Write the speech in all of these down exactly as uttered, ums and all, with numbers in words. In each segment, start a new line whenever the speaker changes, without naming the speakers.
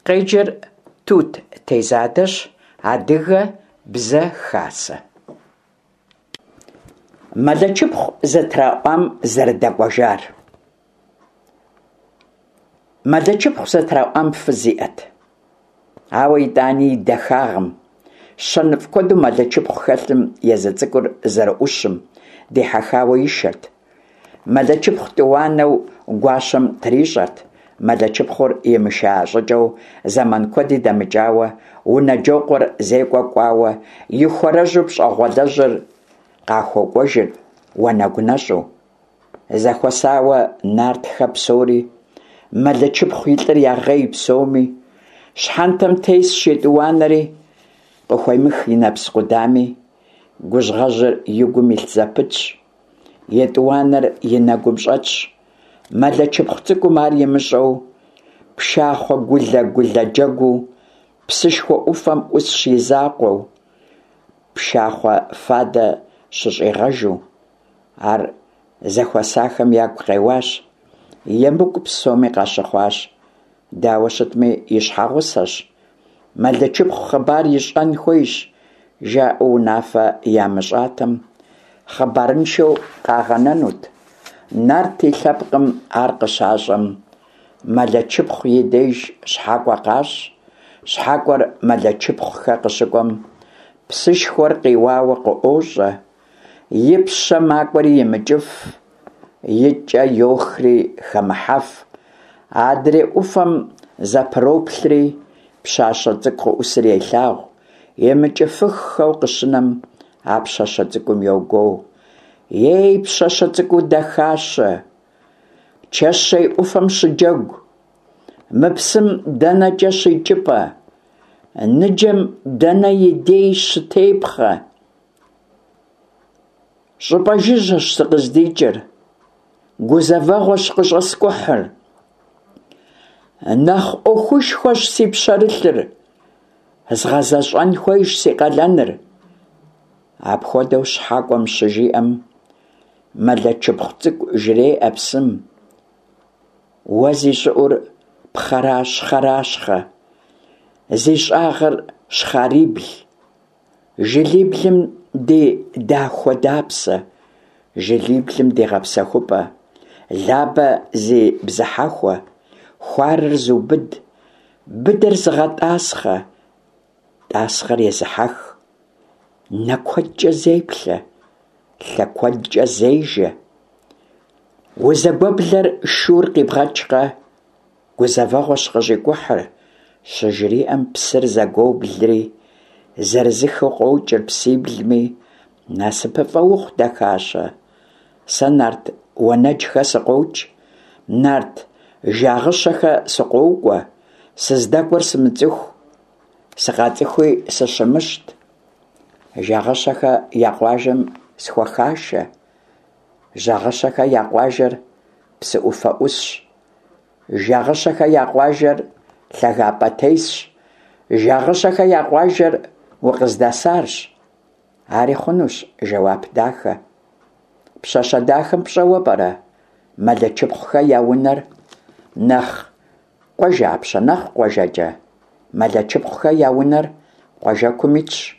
Къеджэр Тут Тезадэщ. Адыгэ Бзэ Хасэ. Мэлэчыпхъу зэтраӀуам зэрыдэкӀуэжар. Мэлэчыпхъу зэтраӀуам фыз иӀэт. Ауэ итӀани и дахагъым, щэныфӀ куэду Мэлэчыпхъу хэлъым, езы цӀыкӀур зэрыӀущым дихьэхауэ ишэрт. Мэлэчыпхъу тӀуанэу гуащэм трищӀэрт. Мэлэчыпхъур имыша щӀыкӀэу зэман куэди дэмыкӀауэ, Унэджокъуэр зекӀуэ кӀуауэ, и хуарэжьу пщӀэгъуалэжьыр къахуэкӀуэжыр уанэгу нэщӀу. Зэхуэсауэ нартхэ псори, Мэлэчыпхъу и лӀыр ягъей псоми. Щхьэнтэм тесщ етӀуанэри, къыхуемых и нэпс къудами. Гужьгъэжьыр и гум илъ зэпытщ, етӀуанэр и нэгум щӀэтщ. Мэлэчыпхъу цӀыкӀум ар имыщӀэу, пшахъуэ гулэ-гулэ джэгуу, псышхуэ Ӏуфэм Ӏусщ и закъуэу, пшахъуэ фадэ щыщӀигъэжу. Ар зэхуэсахэм ягу къеуащ, емыкӀу псоми къащыхъуащ. Дауэ щытми, и щхьэгъусэщ, Мэлэчыпхъу хъыбар ищӀэн хуейщ, жаӀэу унафэ ямыщӀатэм, хъыбарыншэу къагъэнэнут. Нарт и лъэпкъым ар къыщащӀэм, Мэлэчыпхъу и деж щхьэкӀуэ къащӀ. ЩхьэкӀуэр Мэлэчыпхъухэ къыщыкӀуэм, псышхуэр къиуауэ къыӀуощӀэ. И пщэ макӀуэри имыкӀыф, и кӀэ йохри хэмыхьэф. Адрей Ӏуфэм зэпроплъри, пщащэ цӀыкӀу къыӀусыр елъагъу. ИмыкӀыфыххэу къыщынэм, а пщащэ цӀыкӀум йогуоу: «Ей, пщащэ цӀыкӀуу дахащэ, чэщей Ӏуфэм щыджэгу, мы псым дэнэкӀэ щикӀыпӀэ, ныджэм дэнэ и дей щытепхъэ? ЩӀыпӀэ жыжьэщ сыкъыздикӀыр, гузэвэгъуэщ къыщӀэскӀухьыр. Нэхъ Ӏуэхушхуэщ си пщэрылъыр, згъэзэщӀэн хуейщ си къалэныр». Апхуэдэу щхьэкӀуэм щыжиӀэм, Мэлэчыпхъу цӀыкӀу жреӀэ псым: «Уэ зи щӀыӀур пхъэращхъэращхъэ, зи щӀагъыр щхъарибл, жылиблым ди дахуэдапсэ, жылиблым ди гъэпсэхупӀэ, Лабэ зи бзыхьэхуэ, хуарэр зыубыд, быдэр зыгъэтӀасхъэ, тӀасхъэр езыхьэх, нэ куэдкӀэ зеплъэ, лъэ куэдкӀэ зежэ. Узэгуэблэр шур къибгъэкӀкъэ, гузэвэгъуэщ къыщӀикӀухьыр», щыжриӀэм, псыр зэгуоблри, зырызыххэу къокӀыр псиблми: «НасыпыфӀэ ухъу, дахащэ, сэ нарт Уэнэджхэ сыкъокӀ, нарт Жагъыщэхэ сыкъокӀуэ, сыздэкӀуэр сымыцӀыху, сыкъацӀыхуи сыщымыщт. Жагъыщэхэ я къуажэм схухашэ. Жагъыщэхэ я къуажэр псы Ӏуфэ Ӏусщ. Жагъыщэхэ я къуажэр лъагапӀэ тесщ. Жагъыщэхэ я къуажэр укъыздэсарщ». Ари хъунущ жэуап дахэ. Пщащэ дахэм пщӀэуэ пӀэрэ Мэлэчыпхъухэ я унэр нэхъ къуажапщэ, нэхъ къуажэкӀэ? Мэлэчыпхъухэ я унэр къуажэкум итщ.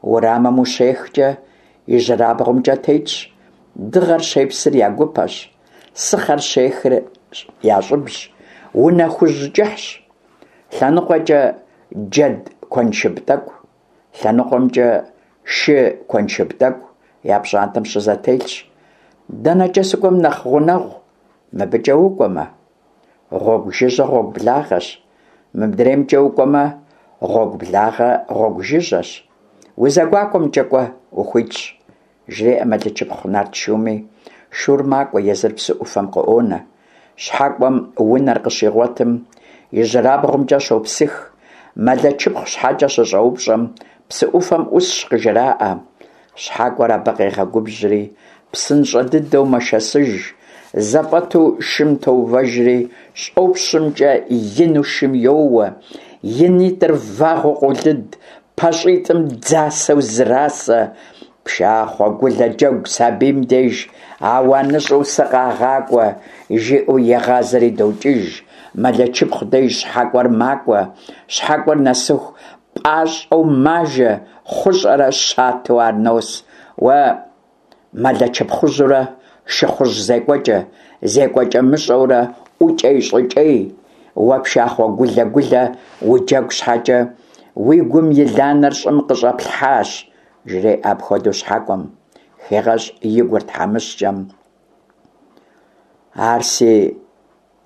Уэрамым ущехкӀэ ижьырабгъумкӀэ тетщ. Дыгъэр щепсыр я гупэщ, сыхъэр щехыр я щӀыбщ. Унэ хужь кӀыхьщ. ЛъэныкъуэкӀэ джэд куэншыб тӀэкӀу, лъэныкъуэмкӀэ шы куэншыб тӀэкӀу я пщӀантӀэм щызэтелъщ. ДэнэкӀэ сыкӀуэм нэхъ гъунэгъу, мыбыкӀэ укӀуэмэ? Гъуэгу жыжьэ гъуэгу благъэщ. МыдреймкӀэ укӀуэмэ, гъуэгу благъэ гъуэгу жыжьэщ. УзэгуакӀуэмкӀэ кӀуэ, ухуитщ, жреӀэ Мэлэчыпхъу нарт шуми, шур макӀуэ, езыр псы Ӏуфэм къыӀуонэ. ЩхьэкӀуэм унэр къыщигъуэтым, ижьырабгъумкӀэ щопсых. Мэлэчыпхъу щхьэкӀэ щыщӀэупщӀэм, псы Ӏуфэм Ӏусщ къыжраӀэ. ЩхьэкӀуэр абы къегъэгубжьри, псынщӀэ дыдэу мэшэсыж, зэфӀэту шым тоувэжри, щӀопщымкӀэ ину шым йоуэ, и нитӀыр вагъуэу къолыд, пащӀитӀым дзасэу зрасэ. «Пшахъуэ гулэ джэгу сабийм деж ауаныщӀу сыкъагъакӀуэ», жиӀэу егъазэри докӀыж. Мэлэчыпхъу деж щхьэкӀуэр макӀуэ. ЩхьэкӀуэр нэсыху пӀащӀэу мажэ, хъущӀэрэ щатэу ар нос. Уэ Мэлэчыпхъужьурэ шыхъужь зекӀуэкӀэ, зекӀуэкӀэмыщӀэурэ ӀукӀей-щӀыкӀей, уэ пшахъуэ гулэ-гулэ уджэгу щхьэкӀэ, уи гум и ланэр щӀым къыщӀэплъхьащ, жреӀэ апхуэдэу щхьэкӀуэм, хегъэщӀ и гур тхьэмыщкӀэм. Ар си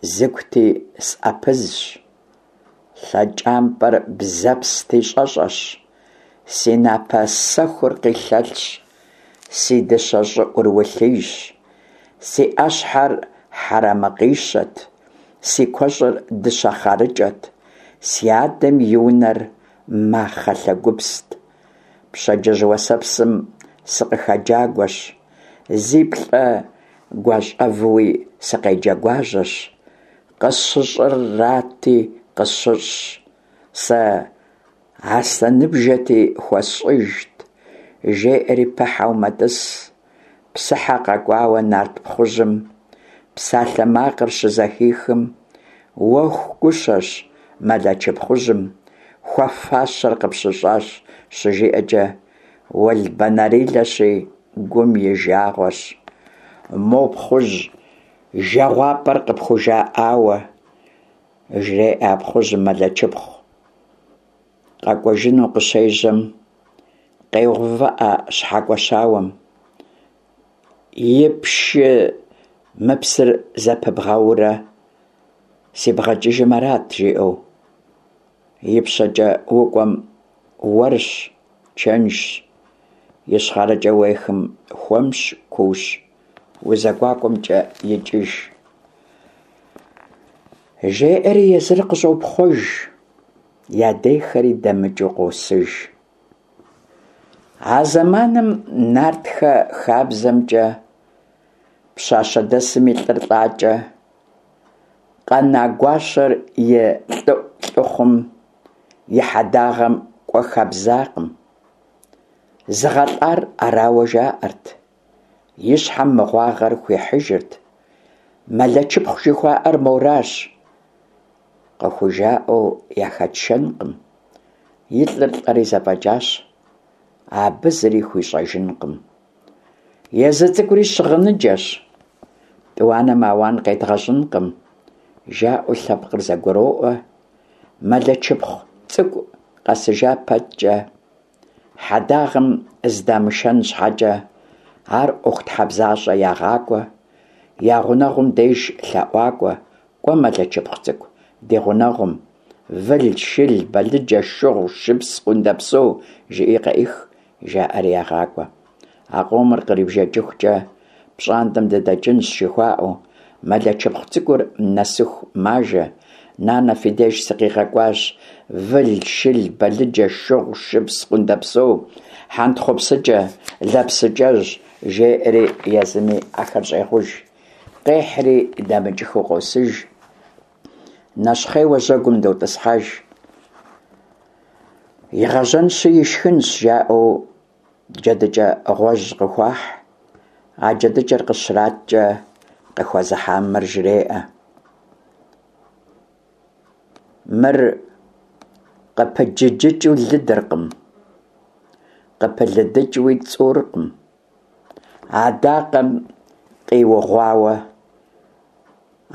зыгути сӀэпызщ, лъэкӀампӀэр бзэпсти щӀэщӀэщ, си напэ сэхур къилъэлъщ, си дыщэ щӀыӀур улъийщ, си Ӏэщхьэр хьэрэмэкъищэт, си куэщӀыр дыщэ хъарыкӀэт, си адэм и унэр махъэ лъэгупст. Пщэдджыжь уэсэпсым сыкъыхэджагуэщ, зи плӀэ гуащӀэвуи сыкъеджэгуажьэщ. КъысщыщӀырати къысщыщӀщ, сэ аслъэныбжэти хуэсщӀыжт, жеӀэри пыхьэу мэтӀыс. Псыхьэ къэкӀуауэ нарт пхъужьым псалъэ макъыр щызэхихым, уэху гущэщ, Мэлэчыпхъужьым хуэфащэр къыпщыщӀащ, щыжиӀэкӀэ, уэлбанэрилэщи, гум и жагъуэщ. Мо пхъужь жэгъуапӀэр къыпхужаӀауэ, жреӀэ а пхъужьым Мэлэчыпхъу. КъэкӀуэжыну къыщежьэм, къеувыӀэ щхьэкӀуэ щауэм: И пшы мы псыр зэпыбгъэурэ сибгъэкӀыжым арат, жиӀэу. ИпщэкӀэ укӀуэм уэрщ, чэнжщ, ищхъэрэкӀэ уехым хуэмщ, куущ, узэгуакӀуэмкӀэ икӀыж. ЖеӀэри езыр къыщӀопхъуэж, ядехэри дэмыкӀыу къосыж. А зэманым нартхэ хабзэмкӀэ пщащэдэсым и лӀыр лӀакӀэ, къэна гуащэр и лӀыӀу лӀыхъум и хьэдагъэм кӀуэ хабзакъым. ЗыгъэлӀар арауэ жаӀэрт, и щхьэм мыгъуагъэр хуихьыжырт. Мэлэчыпхъу жыхуаӀэр моращ, къыхужаӀэу яхэтшэнкъым. И лӀыр лӀэри зэфӀэкӀащ, абы зыри хуищӀэжынкъым. Езы цӀыкӀури щыгъыныджэщ, тӀуанэм ауан къедгъэщӀынкъым, жаӀэу лъэпкъыр зэгуроӀуэ. Мэлэчыпхъу цӀыкӀу къэсыжа пэткӀэ, хьэдагъэм здамышэн щхьэкӀэ, ар ӀуэхутхьэбзащӀэ ягъакӀуэ, я гъунэгъум деж лъэӀуакӀуэ: «КӀуэ, Мэлэчыпхъу цӀыкӀу, ди гъунэгъум, выл, шыл, балыджэ, шыгъу, шыпс, къундэпсо жыӀи къеӀых», жаӀэри ягъакӀуэ. А къомыр кърибжэкӀыхукӀэ пщӀантӀэм дыдэкӀынщ жыхуаӀэу, Мэлэчыпхъу цӀыкӀур нэсыху мажэ. Нанэ фи деж сыкъигъэкӀуащ, выл, шыл, балыджэ, шыгъу, шыпс, къундэпсо, хьэнтхъупсыкӀэ, лэпсыкӀэжь, жеӀэри езыми ахэр щӀегъуж. Къехьри дэмыкӀыхыу къосыж. Нэщхъейуэ жьэгум дотӀысхьэж. Игъэжьэнщи ишхынщ, жаӀэу джэдыкӀэ гъуэжь къыхуахь. А джэдыкӀэр къыщраткӀэ, къыхуэзыхьам мыр жреӀэ: Мыр къыпыджыджыкӀыу лыдыркъым, къыпылыдыкӀыуи цӀуркъым. Адакъэм къиугъуауэ,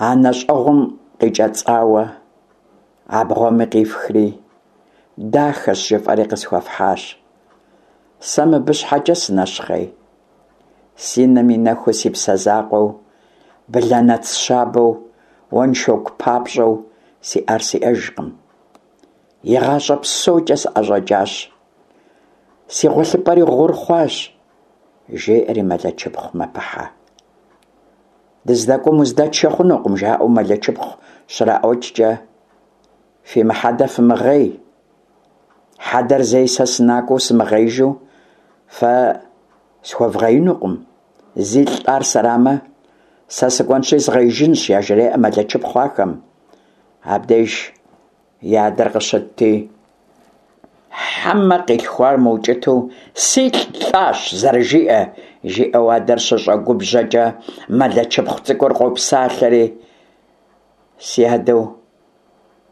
анэщӀэгъум къикӀэцӀауэ, абгъуэми къифхри, дахэщ жыфӀэри къысхуэфхьащ. Сэ мыбы щхьэкӀэ сынэщхъей? Си нэм и нэхуу си псэ закъуэу, блэнэц щабэу, уэншоку папщӀэу сиӀар сиӀэжкъым. ИгъащӀэ псокӀэ сӀэщӀэкӀащ. Си гъуэлъыпӀэри гъур хъуащ, жеӀэри Мэлэчыпхъу мэпыхьэ. ДыздэкӀуэм уздэтшэ хъунукъым, жаӀэу Мэлэчыпхъу щраӀуэкӀкӀэ, фи мыхьэдэ фымыгъей. Хьэдэр зэи сэ сынакӀуэу сымыгъеижу фэ схуэвгъеинукъым. ЗилӀ лӀар сэрамэ, сэ сыкӀуэнщи згъеижынщ, яжреӀэ Мэлэчыпхъу ахэм. Абдеж и адэр къыщытти, хьэмэ къилъхуар мыукӀытэу силӀ лӀащ зэрыжиӀэ, жиӀэу адэр щыщӀэгубжьэкӀэ, Мэлэчыпхъу цӀыкӀур къопсалъэри: Си адэу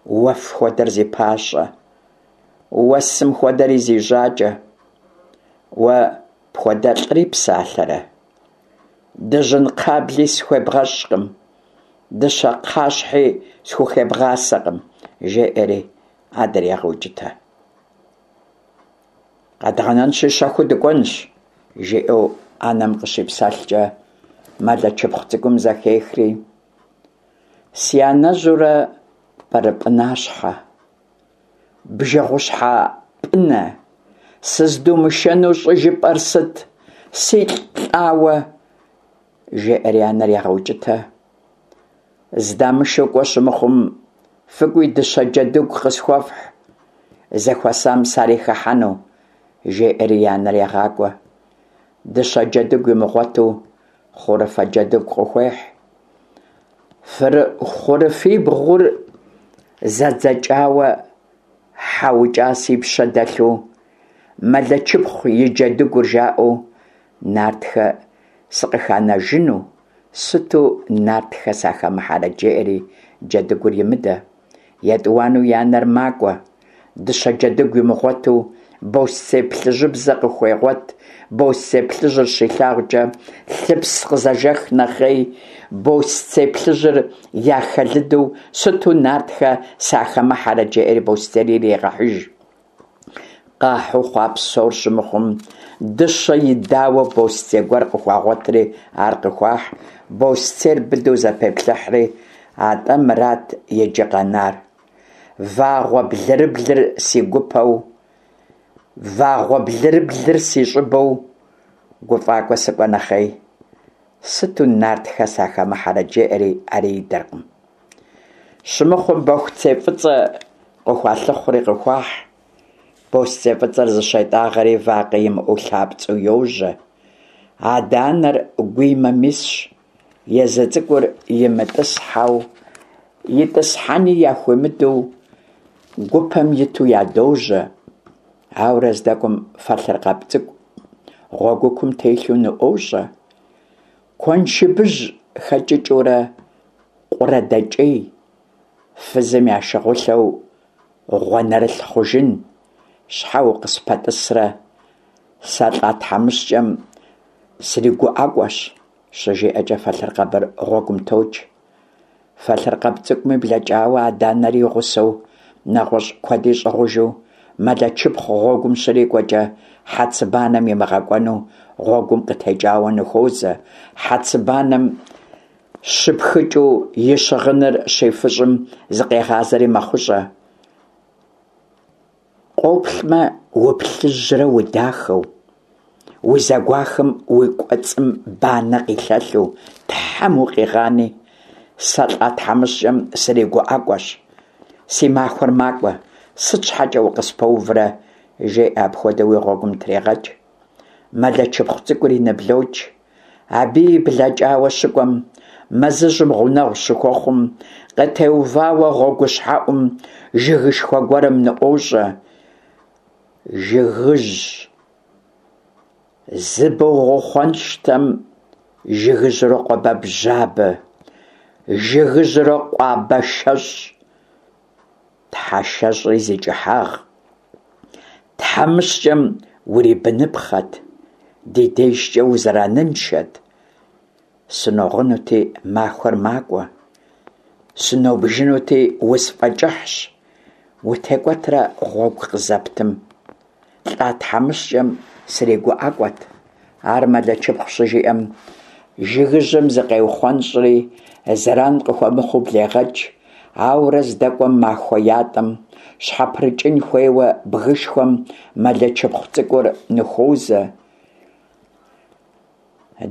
Уэф хуэдэр зи пащӏэ, уэсым хуэдэри зи жьакӏэ, уэ пхуэдэлӏри псалъэрэ? Дыжьын кхъабли схуебгъэщӏкъым, дыщэ кхъащхьи схухебгъасэкъым, жеӏэри адэр егъэукӏытэ. Къэдгъэнэнщи, щэхуу дыкӏуэнщ, жиӏэу анэм къыщипсэлъкӏэ, Мэлэчыпхъу цӏыкӏум зэхехри: Си анэжьурэ пӏырыпӏынащхьэ, бжэгъущхьэ пӏынэ, сыздумышэну щӏыжыпӏэр сыт, силӏ лӏауэ? Жеӏэри анэр егъэукӏытэ. Здамышэу кӏуэ щымыхъум, фыкӏуи дыщэ джэдыгу къысхуэфхь, зэхуэсам сарихыхьэну, жеӏэри и анэр егъакӏуэ. Дыщэ джэдыгу имыгъуэту, хъурыфэ джэдыгу къыхуехь. Хъурыфибгъур зэдзэкӏауэ хьэ укӏа си пщэ дэлъу, Мэлэчыпхъу и джэдыгур жаӏэу нартхэ сыкъыханэжыну, сыту нартхэ сахэмыхьэрэт, жеӏэри джэдыгур имыдэ. Етӏуанэу и анэр макӏуэ. Дыщэ джэдыгу имыгъуэту, босцей плъыжьыбзэ къыхуегъуэт. Босцей плъыжьыр щилъагъукӏэ, лъыпс къызэжэх нэхъей, босцей плъыжьыр яхэлыдэу, сыту нартхэ сахэмыхьэрэт, жеӏэри босцейр ирегъэхьыж. Къахьу хъуа псор щымыхъум, дыщэ идауэ босцей гуэр къыхуагъуэтри ар къыхуахь. Босцейр быдэу зэпеплъыхьри, атӏэ мырат иджы къэнар. Вагъуэ блырыблыр си гупэу, вагъуэ блырыблыр си щӏыбэу гуфӏакӏуэ сыкӏуэ нэхъей, сыту нартхэ сахэмыхьэрэт, жеӏэри ари идэркъым. Щымыхъум, бохуцей фӏыцӏэ къыхуалъыхъури къыхуахь. Босцей фӏыцӏэр зыщетӏагъэри вакъэ имыӏэу лъапцӏэу йожьэ. Адэ-анэр гуимэм исщ, езы цӏыкӏур имытӏысхьэу, итӏысхьэни яхуимыдэу гупэм иту ядожьэ. Ауэрэ здэкӏуэм фэлъыркъэб цӏыкӏу гъуэгукум телъу ныӏуощӏэ. Куэншыбыжь хэкӏыкӏыурэ къурэ дэкӏей, фызым я шыгъулъэу гъуанэрылъ хъужын, щхьэ укъыспэтӏысрэ, сэ лӏа тхьэмыщкӏэм сригуӏэкӏуэщ, щыжиӏэкӏэ фэлъыркъэбыр гъуэгум токӏ. Фэлъыркъэб цӏыкӏуми блэкӏауэ, адэ-анэри и гъусэу, нэгъуэщӏ куэди щӏыгъужу, Мэлэчыпхъу гъуэгум щрикӏуэкӏэ, хьэцыбанэм имыгъэкӏуэну гъуэгум къытекӏауэ ныхуозэ. Хьэцыбанэм щыпхыкӏыу и щыгъыныр щифыщӏым зыкъегъазэри мэхъущӏэ. Къоплъмэ, уплъыжьрэ удахэу, узэгуахым уи кӏуэцӏым банэ къилъэлъу, Тхьэм укъигъани, сэ лӏа тхьэмыщкӏэм сригуӏэкӏуэщ, си махуэр макӏуэ, сыт щхьэкӏэ укъыспэуврэ, жеӏэ, апхуэдэуи гъуэгум трегъэкӏ. Мэлэчыпхъу цӏыкӏури ныблокӏ. Абыи блэкӏауэ щыкӏуэм, мэзыжьым гъунэгъу щыхуэхъум, къытеувауэ гъуэгущхьэӏум жыгышхуэ гуэрым ныӏуощӏэ. Жыгыжь зыбогъухъуэнщтэм жыгыжьрэ къуабэбжьабэ, жыгыжьрэ къуабэшэщӏ, тхьэшэщӏри зи кӏыхьагъ. Тхьэмыщкӏэм урибыныпхъэт, ди дежкӏэ узэраныншэт. Сыногъынути, махуэр макӏуэ, сынобжынути, усфӏэкӏыхьщ, утекӏуэтрэ гъуэгу къызэптым. Лӏа тхьэмыщкӏэм сригуӏэкӏуэт. Ар Мэлэчыпхъу щыжиӏэм, жыгыжьым зыкъеухъуэнщӏри, зэран къыхуэмыхъуу блегъэкӏ. Ауэрэ здэкӏуэм махуэ ятӏэм щхьэпрыкӏын хуейуэ бгышхуэм Мэлэчыпхъу цӏыкӏур ныхуозэ.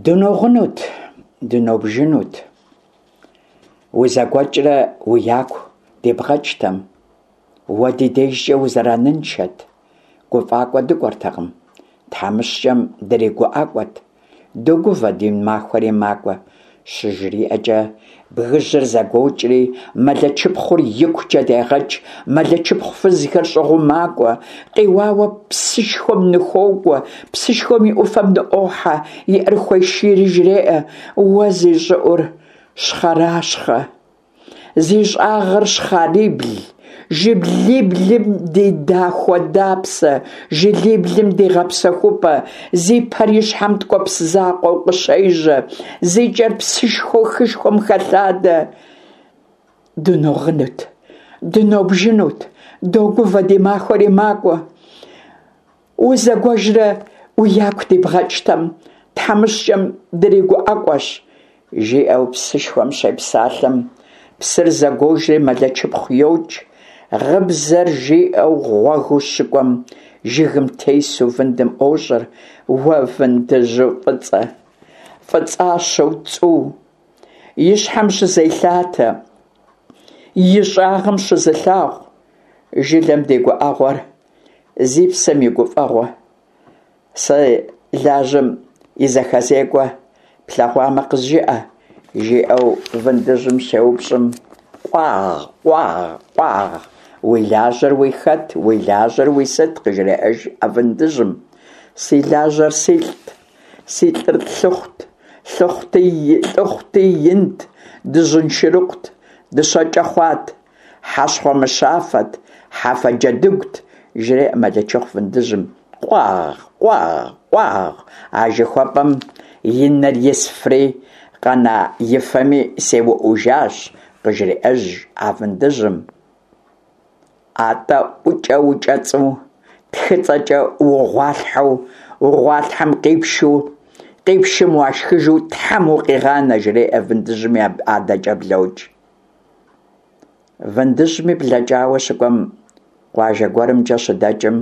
Дыногъынут, дынобжынут, узэгуэкӏрэ уи яку дибгъэкӏтэм, уэ ди дежкӏэ узэраныншэт, гуфӏакӏуэ дыкӏуэртэкъым, тхьэмыщкӏэм дригуӏэкӏуэт, догувэ, ди махуэри макӏуэ, щыжриӏэкӏэ, бгыжьыр зэгуокӏри, Мэлэчыпхъур икукӏэ дегъэкӏ. Мэлэчыпхъу фызхэр щӏыгъуу макӏуэ, къиуауэ псышхуэм ныхуокӏуэ, псышхуэм и ӏуфэм ныӏуохьэ, и ӏэр хуешийри жреӏэ: Уэ зи щӏыӏур щхъэращхъэ, зи щӏагъыр щхъарибл, Жылиблым ди дахуэдапсэ, жылиблым ди гъэпсэхупӏэ, зи пэр и щхьэм ткӏуэпс закъуэу къыщежьэ, зи кӏэр псышхуэу хышхуэм хэлъадэ, дыногъынут, дынобжынут, догувэ, ди махуэри макӏуэ. Узэгуэжрэ уи яку дибгъэкӏтэм, тхьэмыщкӏэм дригуӏэкӏуэщ, жиӏэу псышхуэм щепсалъэм, псыр зэгуожри Мэлэчыпхъу йокӏ. Гъыбзэр жиӏэу гъуэгыу щыкӏуэм, жыгым тесу вындым ӏуощӏэр: Уэ вындыжьу фӏыцӏэ, фӏыцӏащэу цӏу, и щхьэм щызелъатэ, и щӏагъым щызылъагъу, жылэм ди гуӏэгъуэр, зи псэм и гуфӏэгъуэ, сэ лажьэм и зэхэзекӏуэ плъэгъуамэ къызжыӏэ, жиӏэу вындыжьым щеупщӏым, къуагъ, къуагъ, къуагъ, уи лажьэр уи хэт, уи лажьэр уи сыт, къыжреӏэж а вындыжьым. Си лажьэр силӏт, си лӏыр лӏыхъут, лӏыхъути инт, дыжьын шырыкъут, дыщэкӏэ хъуат, хьэщхъуэмыщафэт, хьэфэ джэдыгут, жреӏэ Мэлэчыпхъу вындыжьым. Къуагъ, къуагъ, къуагъ, а жыхуэпӏэм и нэр исфри къэна и фэми сеуӏужащ, къыжреӏэж а вындыжьым. Атӏэ ӏукӏэ укӏэцӏу, тхыцӏэкӏэ угъуалъхьэу, угъуалъхьэм къипшу, къипшым уашхыжу тхьэм укъигъанэ, жреӏэ вындыжьми адэкӏэ блокӏ. Вындыжьми блэкӏауэ щыкӏуэм, къуажэ гуэрымкӏэ щыдэкӏым,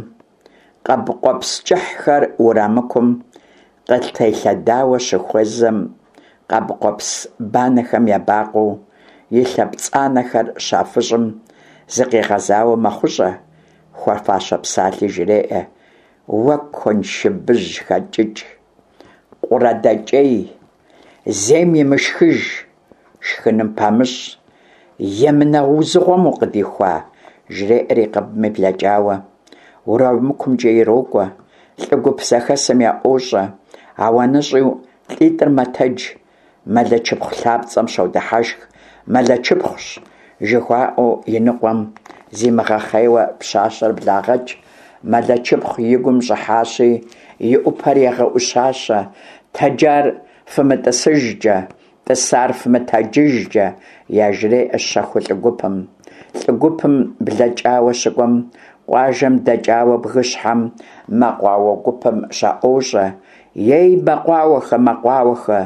къэб къуэпс кӏыхьхэр уэрамыкум къытелъэдауэ щыхуэзэм, къэб къуэпс банэхэм ебакъуэу и лъэ пцӏанэхэр щафыщӏым, зыкъигъэзауэ мэхъущӏэ, хуэфащэ псалъи жреӏэ: Уэ куэншыбыжь хэкӏыкӏ, къурэдэкӏей, зейм имышхыж, шхыным памыщӏ, емынэ узыгъуэм укъыдихуа, жреӏэри къэбми блэкӏауэ, уэрамыкумкӏэ ирокӏуэ, лӏы гуп зэхэсым яӏуощӏэ, ауаныщӏу лӏитӏыр мэтэдж, Мэлэчыпхъу лъапцӏэм щодыхьэшх, Мэлэчыпхъущ жыхуаӏэу и ныкъуэм зимыгъэхъейуэ пщащэр благъэкӏ, Мэлэчыпхъу и гум щӏыхьащи, и ӏупэр егъэӏущащэ: Тэджар фымытӏысыжкӏэ, тӏысар фымытэджыжкӏэ, яжреӏэ щэхуу лӏы гупым. Лӏы гупым блэкӏауэ щыкӏуэм, къуажэм дэкӏауэ бгыщхьэм мэкъуауэ гупым щаӏуощӏэ: Ей, мэкъуауэхэ, мэкъуауэхэ,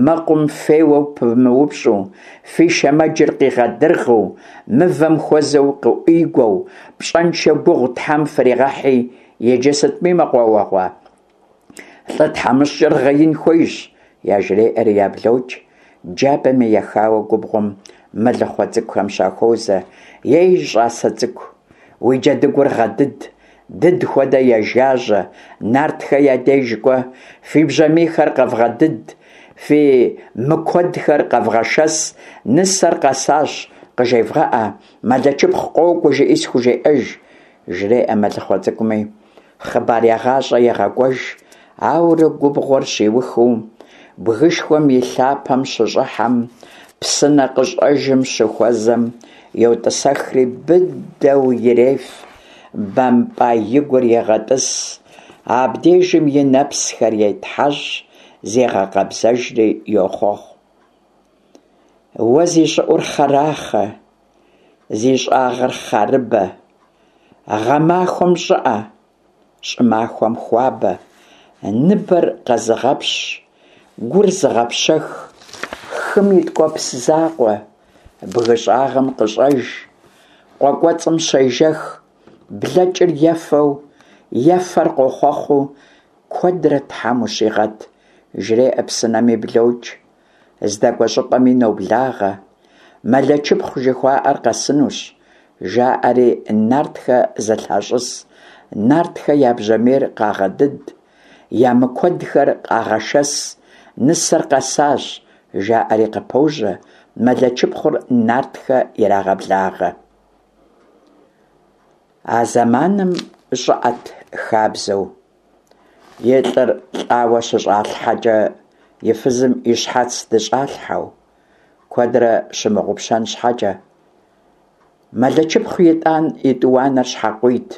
мэкъум феуэу пымыупщӏу, фи шэмэджыр къигъэдыргъыу, мывэм хуэзэу къыӏуигуэу, пщӏэншэ гугъу тхьэм фригъэхьи, иджы сытми мэкъуауэгъуэ, лӏы тхьэмыщкӏэр гъеин хуейщ, яжреӏэри яблокӏ. Джабэми ехауэ губгъуэм мэлыхъуэ цӏыкӏухэм щахуозэ: Ей, щӏасэ цӏыкӏу, уи джэдыгур гъэдыд, дыд хуэдэ ежажьэ, нартхэ я деж кӏуэ, фи бжьамийхэр къэвгъэдыд, фи мыкуэдхэр къэвгъэшэс, нысэр къэсащ къыжевгъэӏэ, Мэлэчыпхъу къокӏуэ жыӏи схужеӏэж, жреӏэ мэлыхъуэ цӏыкӏуми, хъыбар егъащӏэ егъэкӏуэж. Ауэрэ губгъуэр щиухыу, бгышхуэм и лъапэм щыщӏыхьэм, псынэ къыщӏэжым щыхуэзэм, йотӏысэхри быдэу иреф, бэмпӏа и гур егъэтӏыс, абдежым и нэпсхэр етхьэщӏ, зегъэкъэбзэжри йохъуэхъу: Уэ зи щӏыӏур хъэрахъэ, зи щӏагъыр хъарыбэ, гъэмахуэм щӏыӏэ, щӏымахуэм хуабэ, ныбэр къэзыгъэпщ, гур зыгъэпщэх, хым и ткӏуэпс закъуэ, бгы щӏагъым къыщӏэж, къуэ кӏуэцӏым щежэх, блэкӏыр ефэу, ефэр къохъуэхъуу куэдрэ тхьэм ущигъэт, жреӏэ псынэми блокӏ, здэкӏуэ щӏыпӏэми ноблагъэ. Мэлэчыпхъу жыхуаӏэр къэсынущ, жаӏэри нартхэ зэлъащӏыс, нартхэ я бжьамийр къагъэдыд, я мыкуэдхэр къагъэшэс, нысэр къэсащ, жаӏэри къыпожьэ, Мэлэчыпхъур нартхэ ирагъэблагъэ. А зэманым щыӏэт хабзэу, и лӏыр лӏауэ щыщӏалъхьэкӏэ и фызым и щхьэц дыщӏалъхьэу, куэдрэ щымыгъупщэн щхьэкӏэ. Мэлычыпхъу итӏан и тӏуанэр щхьэкъуийт,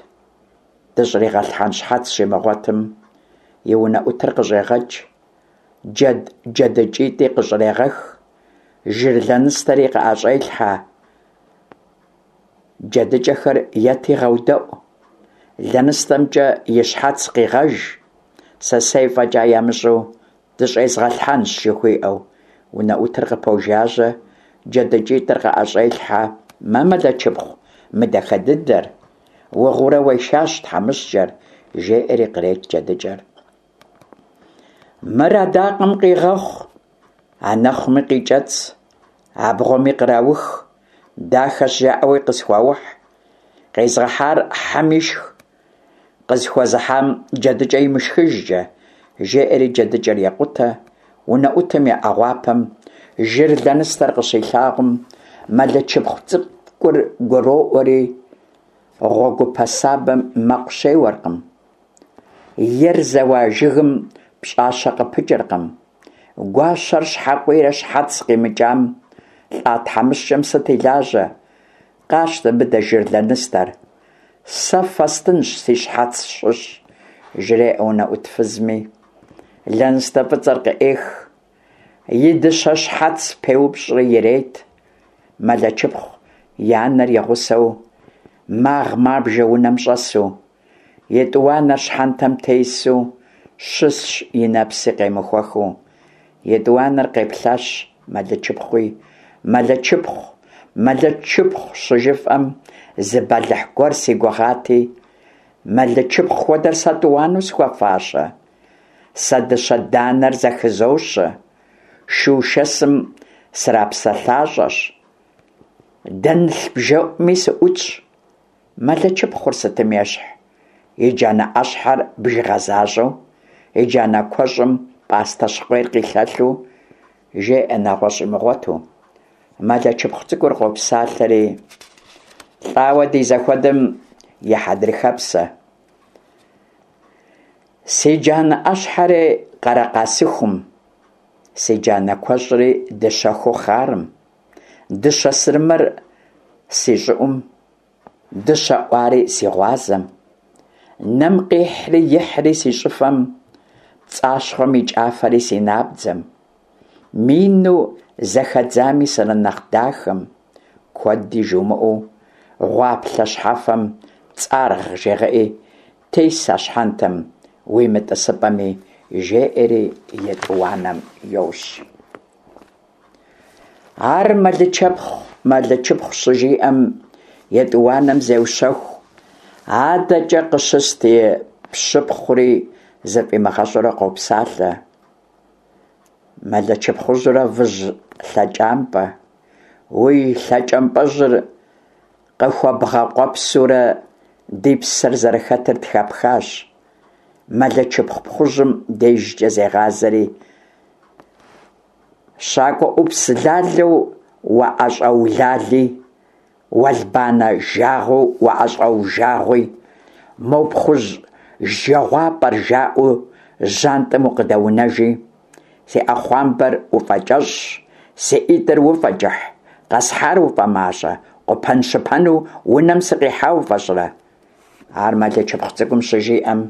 дыщӏригъэлъхьэн щхьэц щимыгъуэтым, и унэӏутыр къыщӏегъэкӏ, джэд джэдыкӏитӏи къыщӏрегъэх, жыр лэныстэри къыӏэщӏелъхьэ: «Джэдыкӏэхэр ети гъэудэӏу, лэныстэмкӏэ и щхьэц къигъэж, сэсэй фӏэкӏа ямыщӏэу дыщӏезгъэлъхьэнщ», жыхуиӏэу. Унэӏутыр къыпожажьэ, джэдыкӏитӏыр къыӏэщӏелъхьэ: «Мэ, Мэлычыпхъу, мы дахэ дыдэр, угъыурэ уешащ, тхьэмыщкӏэр», – жеӏэри кърет джэдыкӏэр. Мыр адакъэм къигъэхъу, анэхъуми къикӏэцӏ, абгъуэми къраух, дахэщ жаӏэуи къысхуаухь, къезгъэхьар хьэм ишх, къысхуэзыхьам джэдыкӏэ имышхыжкӏэ, жеӏэри джэдыкӏэр екъутэ. Унэӏутым и ӏэгъуапэм жыр лэныстэр къыщилъагъум, Мэлычыпхъу цӏыкӏур гуроӏуэри, гъуэгупэ сабэм мэкъу щеуэркъым, ер зэуа жыгым пщӏащэ къыпыкӏэркъым, гуащэр щхьэкъуийрэ щхьэц къимыкӏам, лӏа тхьэмыщкӏэм сыт и лажьэ, къащтэ мыдэ жыр лэныстэр, сэ фэстынщ си щхьэц щыщ, жреӏэ унэӏут фызми. Лэныстэ фӏыцӏэр къыӏех, и дыщэ щхьэц пеупщӏри ирет. Мэлычыпхъу и анэр и гъусэу магъ-мабжэ унэм щӏэсу, и тӏуанэр щхьэнтэм тесу щысщ, и нэпси къемыхуэхыу. И тӏуанэр къеплъащ Мэлычыпхъуи, Мэлычыпхъу, Мэлычыпхъу щыжыфӏэм, зы бэлыхь гуэр си гугъати, Мэлычыпхъу хуэдэр сэ тӏуанэу схуэфащэ? Сэ дыщэ данэр зэхызощэ, шу шэсым срапсэлъащӏэщ, дэнлъ бжэӏуми сыӏутщ. Мэлычыпхъур сытым ещхь? И джанэ ӏэщхьэр бжыгъэ защӏэу, и джанэ куэщӏым пӏастэ щыкъуейр къилъэлъу, жеӏэ нэгъуэщӏ имыгъуэту. Мэлычыпхъу цӏыкӏур къопсалъэри: «Лӏауэ ди зэхуэдэм и хьэдрыхэпсэ, си джанэ ӏэщхьэри къэрэкъасыхум, си джанэ куэщӏри дыщэхуу хъарым, дыщэ сырымэр си щӏыӏум, дыщэ ӏуари си гъуазэм, нэм къихьри ихьри си щӏыфэм, пцӏащхъуэм и кӏафэри си набдзэм, мину зэхэдзами сырынэхъ дахэм, куэди жумыӏэу гъуаплъэ щхьэфэм цӏаргъ жегъыӏи, тес а щхьэнтэм уимытӏысыпӏэми», жеӏэри и тӏуанэм йощӏ. Ар Мэлычэпхъу, Мэлычыпхъу щыжиӏэм, и тӏуанэм зеущэху, адэкӏэ къыщыст и пщыпхъури зыфӏимыгъэщӏурэ къопсалъэ: Мэлычыпхъужьурэ выжь лъэкӏампӏэ, уи лъэкӏампӏэжьыр къыхуэбгъэкъуэпсурэ ди псэр зэрыхэтыр тхэпхащ. Мэлычыпхъу пхъужьым дежкӏэ зегъазэри: Щакӏуэ ӏупс лалэу уаӏэщӏэулали, уэлбанэ жагъуэу уаӏэщӏэужагъуи, мо пхъужь жэгъуапӏэр жаӏэу жьантӏэм укъыдэунэжи, си ӏэхъуамбэр уфӏэкӏэщӏщ, си ӏитӏыр уфӏэкӏыхь, къэсхьар уфӏэмащӏэ, къупэн-щыпэну унэм сыкъихьа уфӏэщӏрэ? Ар Мэлычыпхъу цӏыкӏум щыжиӏэм,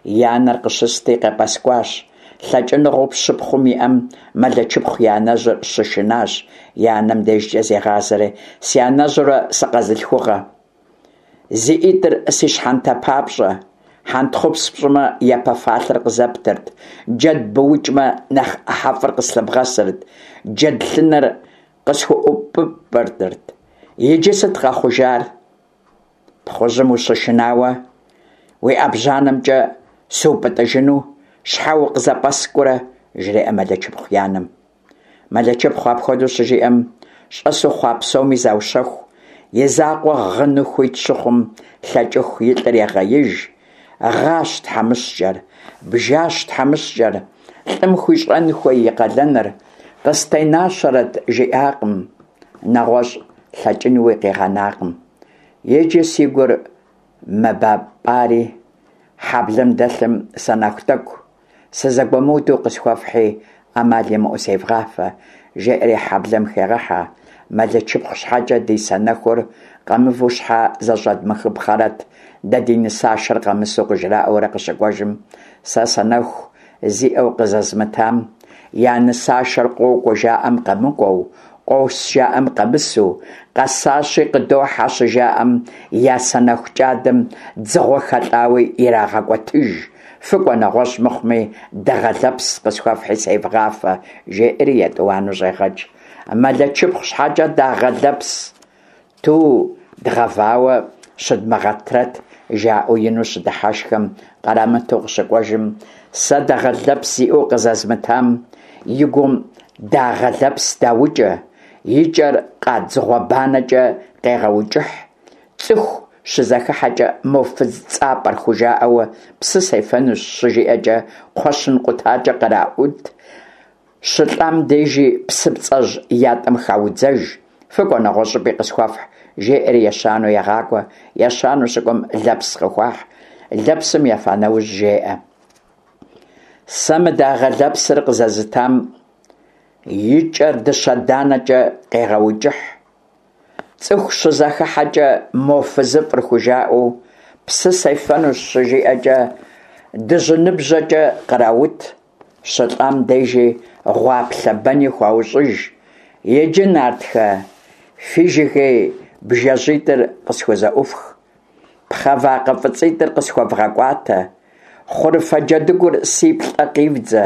и анэр къыщысти къепӏэскӏуащ. Лъэкӏыныгъэу пщыпхъум иӏэм Мэлычыпхъу и анэжьыр щышынащ, и анэм дежкӏэ зегъазэри: «Си анэжьурэ сыкъэзылъхугъэ, зи ӏитӏыр си щхьэнтэ папщӏэ, хьэнтхъупс пщӏымэ, япэ фалъэр къызэптырт, джэд быукӏмэ, нэхъ ӏыхьэфӏыр къыслъыбгъэсырт, джэд лъынэр къысхуӏупӏырт. Иджы сыт къэхъужар? Пхъужьым ущышынауэ уи ӏэбжьанэмкӏэ сыупӏытӏыжыну щхьэ укъызэпӏэскӏурэ?» жреӏэ Мэлычыпхъу и анэм. Мэлычыпхъу апхуэдэу щыжиӏэм, щӏэсу хъуа псоми заущэху, и закъуэ гъыну хуит щыхъум, лъэкӏыху и лӏыр егъеиж. Гъащ тхьэмыщкӏэр, бжащ тхьэмыщкӏэр, лӏым хуищӏэн хуей и къалэныр, къыстенащэрэт жиӏакъым, нэгъуэщӏ лъэкӏынуи къигъэнакъым. Иджы си гур мэбэмпӏари, хьэблэм дэлъым санэху тӏэкӏу, сызэгуэмыуду къысхуэфхьи, ӏэмал имыӏэу севгъафэ, жеӏэри хьэблэм хегъэхьэ. Мэлычыпхъу щхьэкӏэ ди санэхур къэмыву щхьэ зэщӏэдмыхыпхъэрэт, дэ ди нысашэр къэмысу къыжраӏэурэ къыщыкӏуэжым, сэ санэху зиӏэу къызэзмытам я нысашэр къокӏуэ жаӏэм къэмыкӏуэу, къос жаӏэм къэмысу, къэсащи къыдохьэ щыжаӏэм я санэху кӏадэм дзыгъуэ хэлӏауи ирагъэкӏуэтыж, фыкӏуэ нэгъуэщӏ мыхъуми, дагъэ лэпс къысхуэфхьи севгъафэ, жеӏэри етӏуанэу щӏегъэкӏ. Мэлычыпхъу щхьэкӏэ дагъэ лэпс ту дгъэвауэ щыдмыгъэтрэт, жаӏэу ину щыдыхьэшхэм кърамыту къыщыкӏуэжым, сэ дагъэ лэпс зиӏэу къызэзмытам и гум дагъэ лэпс даукӏэ, и кӏэр къадзыгъуэ банэкӏэ къегъэукӏыхь, цӏыху щызэхыхьэкӏэ мо фыз цӏапӏэр хужаӏэу псы сефэнущ щыжиӏэкӏэ кхъуэщын къутакӏэ къраӏут, щылӏам дежи псыпцӏэжь ятӏэм хаудзэж, фыкӏуэ нэгъуэщӏыпӏи къысхуэфхь, жеӏэри ещанэу егъакӏуэ. Ещанэу щыкӏуэм лэпс къыхуахь. Лэпсым ефа нэужь жеӏэ: Сэ мы дагъэ лэпсыр къызэзытам и кӏэр дыщэ данэкӏэ къегъэукӏыхь, цӏыху щызэхыхьэкӏэ мо фызыфӏыр хужаӏэу псы сефэнущ щыжиӏэкӏэ дыжьыныбжьэкӏэ къраут, щылӏам дежи гъуаплъэ бэни хуаущӏыж. Иджы, нартхэ, фи жыгей бжэжьитӏыр къысхузэӏуфх, пхъэ вакъэ фӏыцӏитӏыр къысхуэвгъэкӏуатэ, хъурыфэ джэдыгур си плӏэ къивдзэ,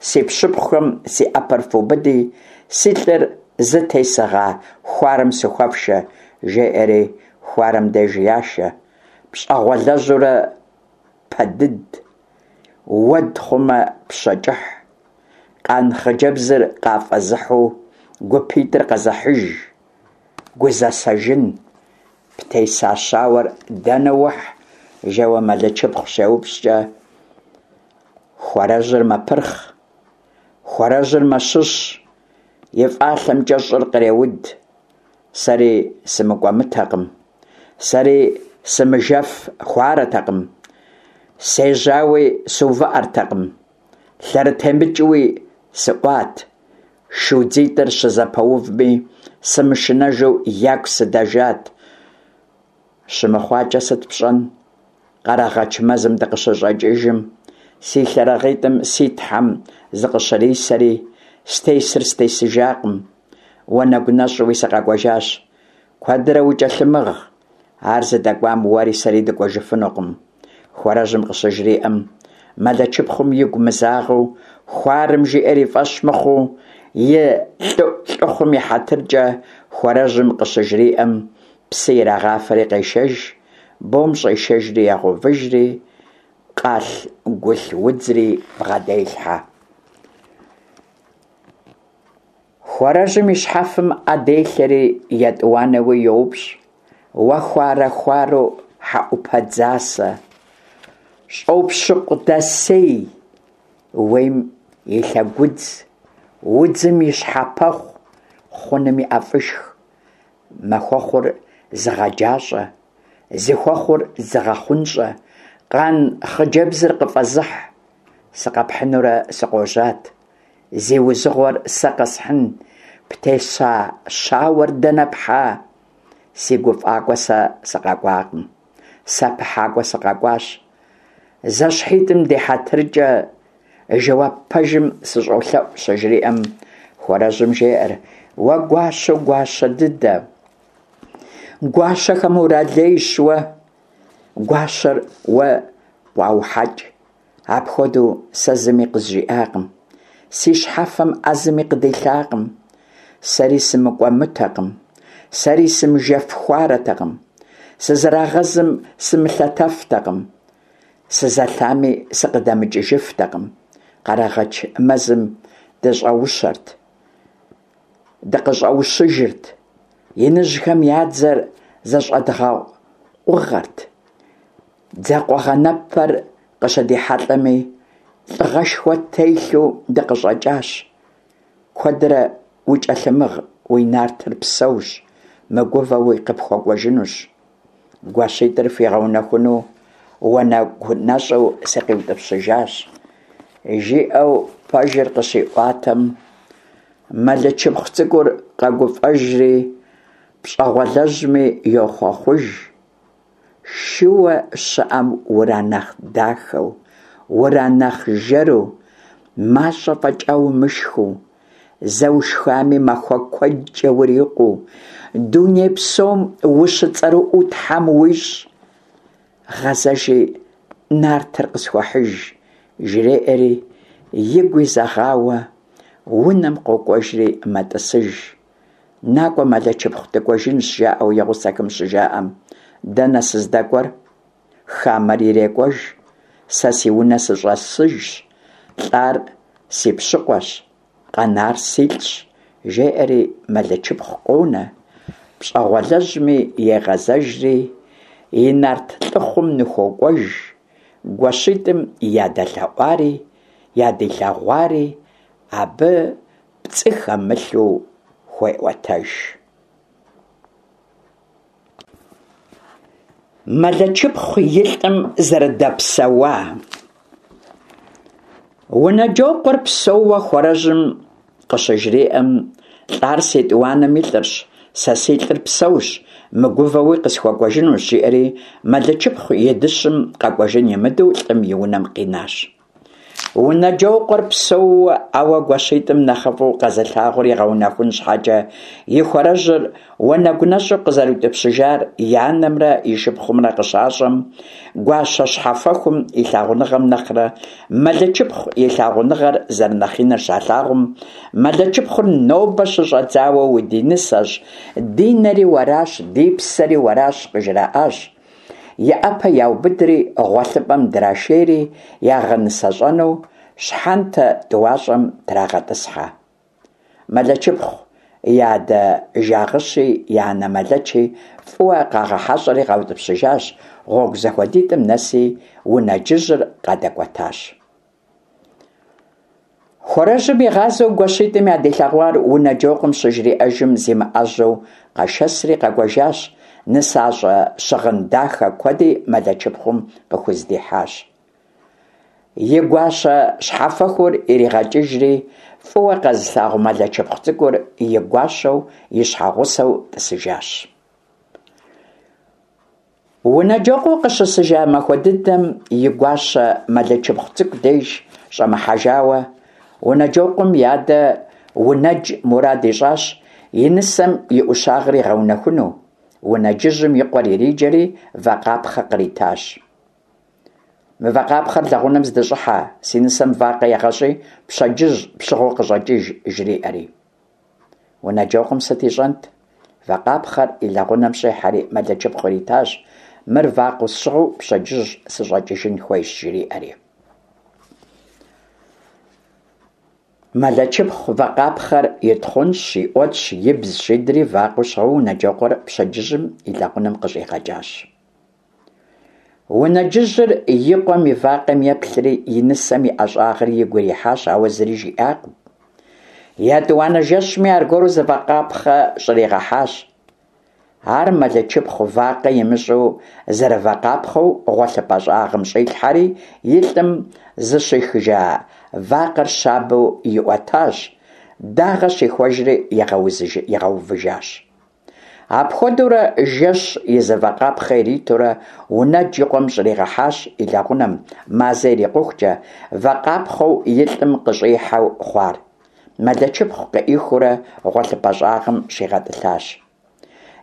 си пщыпхъухэм си ӏэпэр фубыди, си лӏыр зытесыгъа хуарэм сыхуэфшэ, жеӏэри хуарэм деж яшэ. Пщӏэгъуэлэжьурэ пэдыд, уэд хъумэ пщэ кӏыхь, къан хъыджэбзыр къафӏэзыхьу гупитӏыр къэзыхьыж, гузэсэжын, птеса щауэр дэнэ ухь, жэуэ Мэлычыпхъу щеупщӏкӏэ, хуарэжьыр мэпырхъ, хуарэжьыр мэщыщ, и фӏалъэмкӏэ щӏыр къреуд. Сэри сымыкӏуэмытэкъым, сэри сымыжэф хуарэтэкъым, сежьауи сыувыӏэртэкъым, лъэрытемыкӏыуи сыӏуат, шу дзитӏыр щызэпэувми, сымышынэжу яку сыдэжат. Щымыхъуакӏэ сыт пщӏэн? Къэрэгъэч мэзым дыкъыщыщӏэкӏыжым, си лъэрыгъитӏым си тхьэм зыкъыщырисэри, стесыр стесыжакъым, уанэгу нэщӏуи сыкъэкӏуэжащ. Куэдрэ укӏэлъымыгъ, ар зыдэкӏуам уэри сэри дыкӏуэжыфынукъым. Хуарэжьым къыщыжриӏэм, Мэлычыпхъум игу мызагъэу, хуарэм жиӏэр и фӏэщ мыхъуу, и лӏыхъум и хьэтыркӏэ хуарэжьым къыщыжриӏэм, псы ирагъафэри къешэж, бом щӏешэжри егъэувыжри, къалъ-гулъ удзри бгъэделъхьэ. Хуарэжьым и щхьэфэм ӏэ делъэри етӏуанэуи йоупщӏ: Уэ хуарэ-хуарэу хьэӏупэ дзасэ, щӏопщыкъу дэсей, уейм и лъэгудз, удзым и щхьэпэхъу, хъуным и ӏэфӏышх, махуэхъур зыгъэджащӏэ, зыхуэхъур зыгъэхъунщӏэ, къан хъыджэбзыр къыфӏэзыхь, сыкъэпхьынурэ сыкъожьат, зи узыгъуэр сэ къэсхьын, птеса щауэр дэнэ пхьа? Си гуфӏакӏуэ сэ сыкъэкӏуакъым, сапыхьакӏуэ сыкъэкӏуащ. Зэщхьитӏым ди хьэтыркӏэ жэуап пэжым сыщӏолъэӏу, щыжриӏэм, хуарэжьым жеӏэр: Уэ гуащэу гуащэ дыдэ, гуащэхэм уралейщ уэ, гуащэр уэ къуаухьэкӏ. Апхуэдэу сэ зыми къызжиӏакъым, си щхьэфэм ӏэ зыми къыдилъакъым. Сэри сымыкӏуэмытэкъым, сэри сымыжэф хуарэтэкъым, сызэрагъэзым сымылъэтэфтэкъым, сызэлъами сыкъыдэмыкӏыжыфтэкъым. Къэрэгъэч мэзым дыщӏэущэрт, дыкъыщӏэущыжырт, иныжьхэм я дзэр зэщӏэдгъэкъугъэрт. Дзэкъугъэнэпэр къыщыдихьэлӏэми, лӏыгъэшхуэ ттелъу дыкъыщӏэкӏащ. Куэдрэ укӏэлъымыгъ, уи нартыр псэущ, мыгувэуи къыпхуэкӏуэжынущ. Гуащитӏыр фигъэунэхуну уанэгу нэщӏу сыкъиутӏыпщыжащ, жиӏэу пэжыр къыщиӏуатэм, Мэлычыпхъу цӀыкӀур къэгуфӀэжри пщӀэгъуалэжьми йохъуэхъуж: Шыуэ щыӀэм уранэхъ дахэу, уранэхъ жэру, мащӀэ фӀэкӀа умышхыу, зэ ушхами махуэ куэдкӀэ урикъуу, дуней псом ущыцӀэрыӀуэу тхьэм уищӀ, гъэзэжи нартыр къысхуэхьыж, жреӀэри, игу изэгъауэ унэм къокӀуэжри мэтӀысыж. НакӀуэ, Мэлычыпхъу, дыкӀуэжынщ, жаӀэу и гъусэхэм щыжаӀэм, дэнэ сыздэкӀуэр? Хамэр ирекӀуэж, сэ си унэ сыщӀэсыжщ, лӀар си пщыкъуэщ, къэнар силӀщ, жеӀэри Мэлычыпхъу къонэ, пщӀэгъуалэжьми егъэзэжри и нарт лӀыхъум ныхуокӀуэж, гуащитӀым ядэлъэӀуари ядилъэгъуари абы пцӀы хэмылъу хуеӀуэтэж. Мэлычыпхъу и лӀым зэрыдэпсэуа. Унэджокъуэр псэууэ хуэрэжьым къыщыжриӀэм, лӀар си тӀуанэм и лӀырщ, сэ си лӀыр псэущ, мыгувэуи къысхуэкӀуэжынущ, жиӀэри Мэлычыпхъу и дыщым къэкӀуэжын имыдэу лӀым и унэм къинащ. Унэджокъуэр псэууэ, ауэ гуащитӀым нэхъыфӀу къэзылъагъур игъэунэхун щхьэкӀэ и хуэрэжьыр уанэгу нэщӀу къызэриутӀыпщыжар и анэмрэ и шыпхъумрэ къыщащӀэм, гуащэ щхьэфэхум и лъагъуныгъэм нэхърэ Мэлычыпхъу и лъагъуныгъэр зэрынэхъ иныр щалъагъум, Мэлычыпхъур нобэ щыщӀэдзауэ удинысэщ, ди нэри уэращ, ди псэри уэращ къыжраӀащ. И Ӏэпэ яубыдри гъуэлъыпӀэм драшейри ягъэнысэщӀэну щхьэнтэ тӀуащӀэм трагъэтӀысхьэ. Мэлычыпхъу и адэ Жагъыщи и анэ Мэлэчи фӀыуэ къагъэхьэщӀэри къаутӀыпщыжащ, гъуэгу зэхуэдитӀым нэси унэджыжьыр къадэкӀуэтащ. Хуэрэжьым игъазэу гуащитӀым ядилъэгъуар Унэджокъуэм щыжриӀэжым, зимыӀэжьэу къэшэсри къэкӀуэжащ, нысащӀэ щыгъын дахэ куэди Мэлычыпхъум къыхуздихьащ. И гуащэ щхьэфэхур иригъэкӀыжри, фӀыуэ къэзылъагъу Мэлычыпхъу цӀыкӀур и гуащэу, и щхьэгъусэу тӀысыжащ. Унэджокъуэр къыщысыжа махуэ дыдэм и гуащэ Мэлычыпхъу цӀыкӀу деж щӀэмыхьэжауэ, Унэджокъуэм и адэ Унэдж мурад ищӀащ и нысэм и Ӏущагъыр игъэунэхуну. Унэджыжьым и къуэр ириджэри вакъапхъэ къритащ. Мы вакъапхъэр лэгъунэм здыщӀыхьэ, си нысэм вакъэ егъэщӀи, пщэдджыжь пщыгъыу къыщӀэкӀыж, жриӀэри. Унэджокъуэм сыт ищӀэнт? Вакъапхъэр и лэгъунэм щӀихьэри Мэлычыпхъу иритащ, мыр вакъэу сщыгъыу пщэдджыжь сыщӀэкӀыжын хуейщ, жриӀэри. Мэлычыпхъу вакъапхъэр итхъунщӀщ, иӀуэтщ, ибзщ, идри вакъэу щыгъыу Унэджокъуэр пщэдджыжьым и лэгъунэм къыщӀигъэкӀащ. Унэджыжьыр и къуэм и вакъэм еплъри и нысэм и ӀэщӀагъэр игу ирихьащ, ауэ зыри жиӀакъым. ЕтӀуанэ жэщми аргуэру зы вакъапхъэ щӀригъэхьащ. Ар Мэлычыпхъу вакъэ имыщӀу зэрывакъапхъэу гъуэлъыпӀэ щӀагъым щӀилъхьэри, и лӀым зыщихыжа вакъэр щабэу иӀуэтащ, дагъэ щихуэжри игъэувыжащ. Апхуэдэурэ жэщ и зы вакъапхъэ иритурэ Унэдж и къуэм щӀригъэхьащ и лэгъунэм, мазэ ирикъухукӀэ вакъапхъэу и лӀым къыщӀихьэу хъуар. Мэлычыпхъу къыӀихыурэ гъуэлъыпӀэ щӀагъым щигъэтӀылъащ.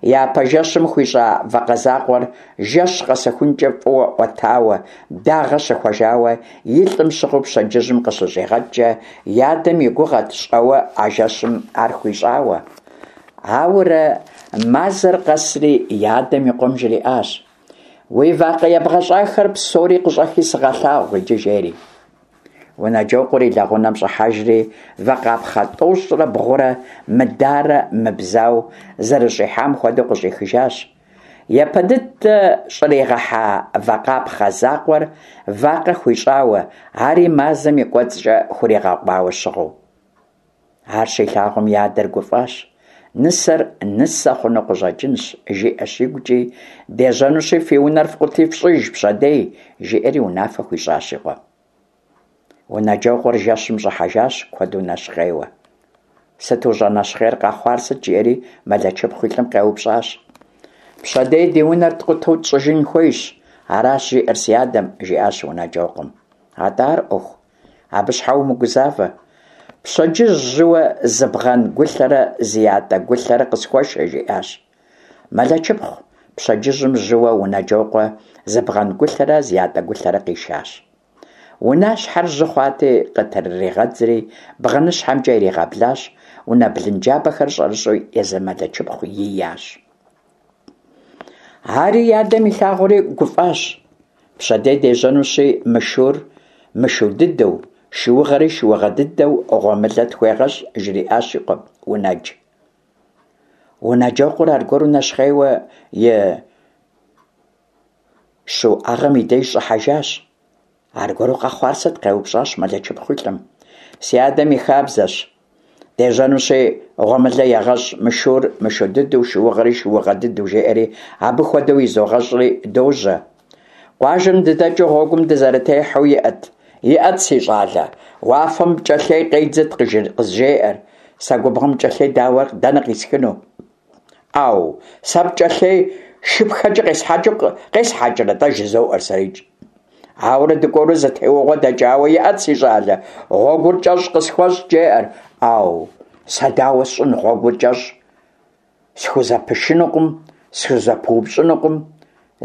Япэ жэщым хуищӀа вакъэ закъуэр жэщ къэсыхункӀэ фӀыуэ Ӏуэтауэ, дагъэ щыхуэжауэ и лӀым щыгъыу пщэдджыжьым къыщыщӀигъэкӀкӀэ, и адэм и гугъэт щӀэуэ а жэщым ар хуищӀауэ. Ауэрэ мазэр къэсри и адэм и къуэм жриӀащ: «Уи вакъэ ебгъэщӀахэр псори къыщӀэхи сыгъэлъагъу иджы», жери. Унэджокъуэр и лэгъунэм щӀыхьэжри вакъапхъэ тӀощӀрэ бгъурэ мыдарэ мыбзау зэрыщӀихьам хуэдэу къыщӀихыжащ. Япэ дыдэ щӀригъэхьа вакъапхъэ закъуэр вакъэ хуищӀауэ, ари мазэм и кӀуэцӀкӀэ хуригъэкъуауэ щыгъыу. Ар щилъагъум и адэр гуфӀащ. Нысэр нысэ хъуну къыщӀэкӀынщ, жиӀэщ игукӀи, дежьэнущи фи унэр фкъути фщӀыж пщэдей, жиӀэри унафэ хуищӀащ и къуэм. Унэджокъуэр жэщым щӀыхьэжащ куэду нэщхъейуэ. Сыт ущӀэнэщхъейр, къэхъуар сыт? – жиӀэри Мэлэчыпхъу и лӀым къеупщӀащ. Пщэдей ди унэр ткъутэу тщӀыжын хуейщ, аращ жиӀэр си адэм, – жиӀащ Унэджокъуэм. Атӏэ ар Ӏуэху, абы щхьэ умыгузавэ. Пщэдджыжь жьыуэ зы бгъэн гулъэрэ зы ятӀэ гулъэрэ къысхуэшэ, – жиӀащ. Мэлэчыпхъу пщэдджыжьым жьыуэ Унэджокъуэ зы бгъэн гулъэрэ зы ятӀэ гулъэрэ къишащ. Унащхьэр жьы хъуати, къытрыригъэдзри бгъэныщхьэмкӀэ иригъэблащ, унэ блынджабэхэр щӀэрыщӀэу езы Мэлэчыпхъу иящ. Ари и адэм илъагъури гуфӀащ. Пщэдей дежьэнущи, мы шур мышу дыдэу, шыугъэри шыугъэ дыдэу гъуэмылэ тхуегъэщӀ, жриӀащ и къуэм Унэдж. Унэджокъуэр аргуэру нэщхъейуэ и щуӀэгъэм и деж щӀыхьэжащ. Аргуэру къэхъуар сыт? – къеупщӀащ Мэлэчыпхъу и лӀым. Си адэм и хабзэщ: дежьэнущи, гъуэмылэ егъэщӀ, мы шур мышу дыдэу, шыугъэри шыугъэ дыдэу, жеӀэри, абы хуэдэу изогъэщӀри дожьэ. Къуажэм дыдэкӀыу гъуэгум дызэрытехьэу, иӀэт, иӀэт, си щӀалэ, уафэм пкӀэлъей къедзыт, къызжеӀэр. Сэ губгъуэм пкӀэлъей дауэ дэнэ къисхыну? Ӏэу, сэ пкӀэлъей шыпхэкӀэ къесхьэкӀыу къесхьэкӀрэ-тӀэ, жызоӀэр сэрикӀ. Ауэрэ дыкӀуэурэ зы теуэгъуэ дэкӀауэ, иӀэт, си щӀалэ, гъуэгур кӀэщӀ къысхуэщӀ, жеӀэр. Ӏэу, сэ дауэ сщӀын гъуэгур кӀэщӀ? Схузэпышынукъым, схузэпыупщӀынукъым,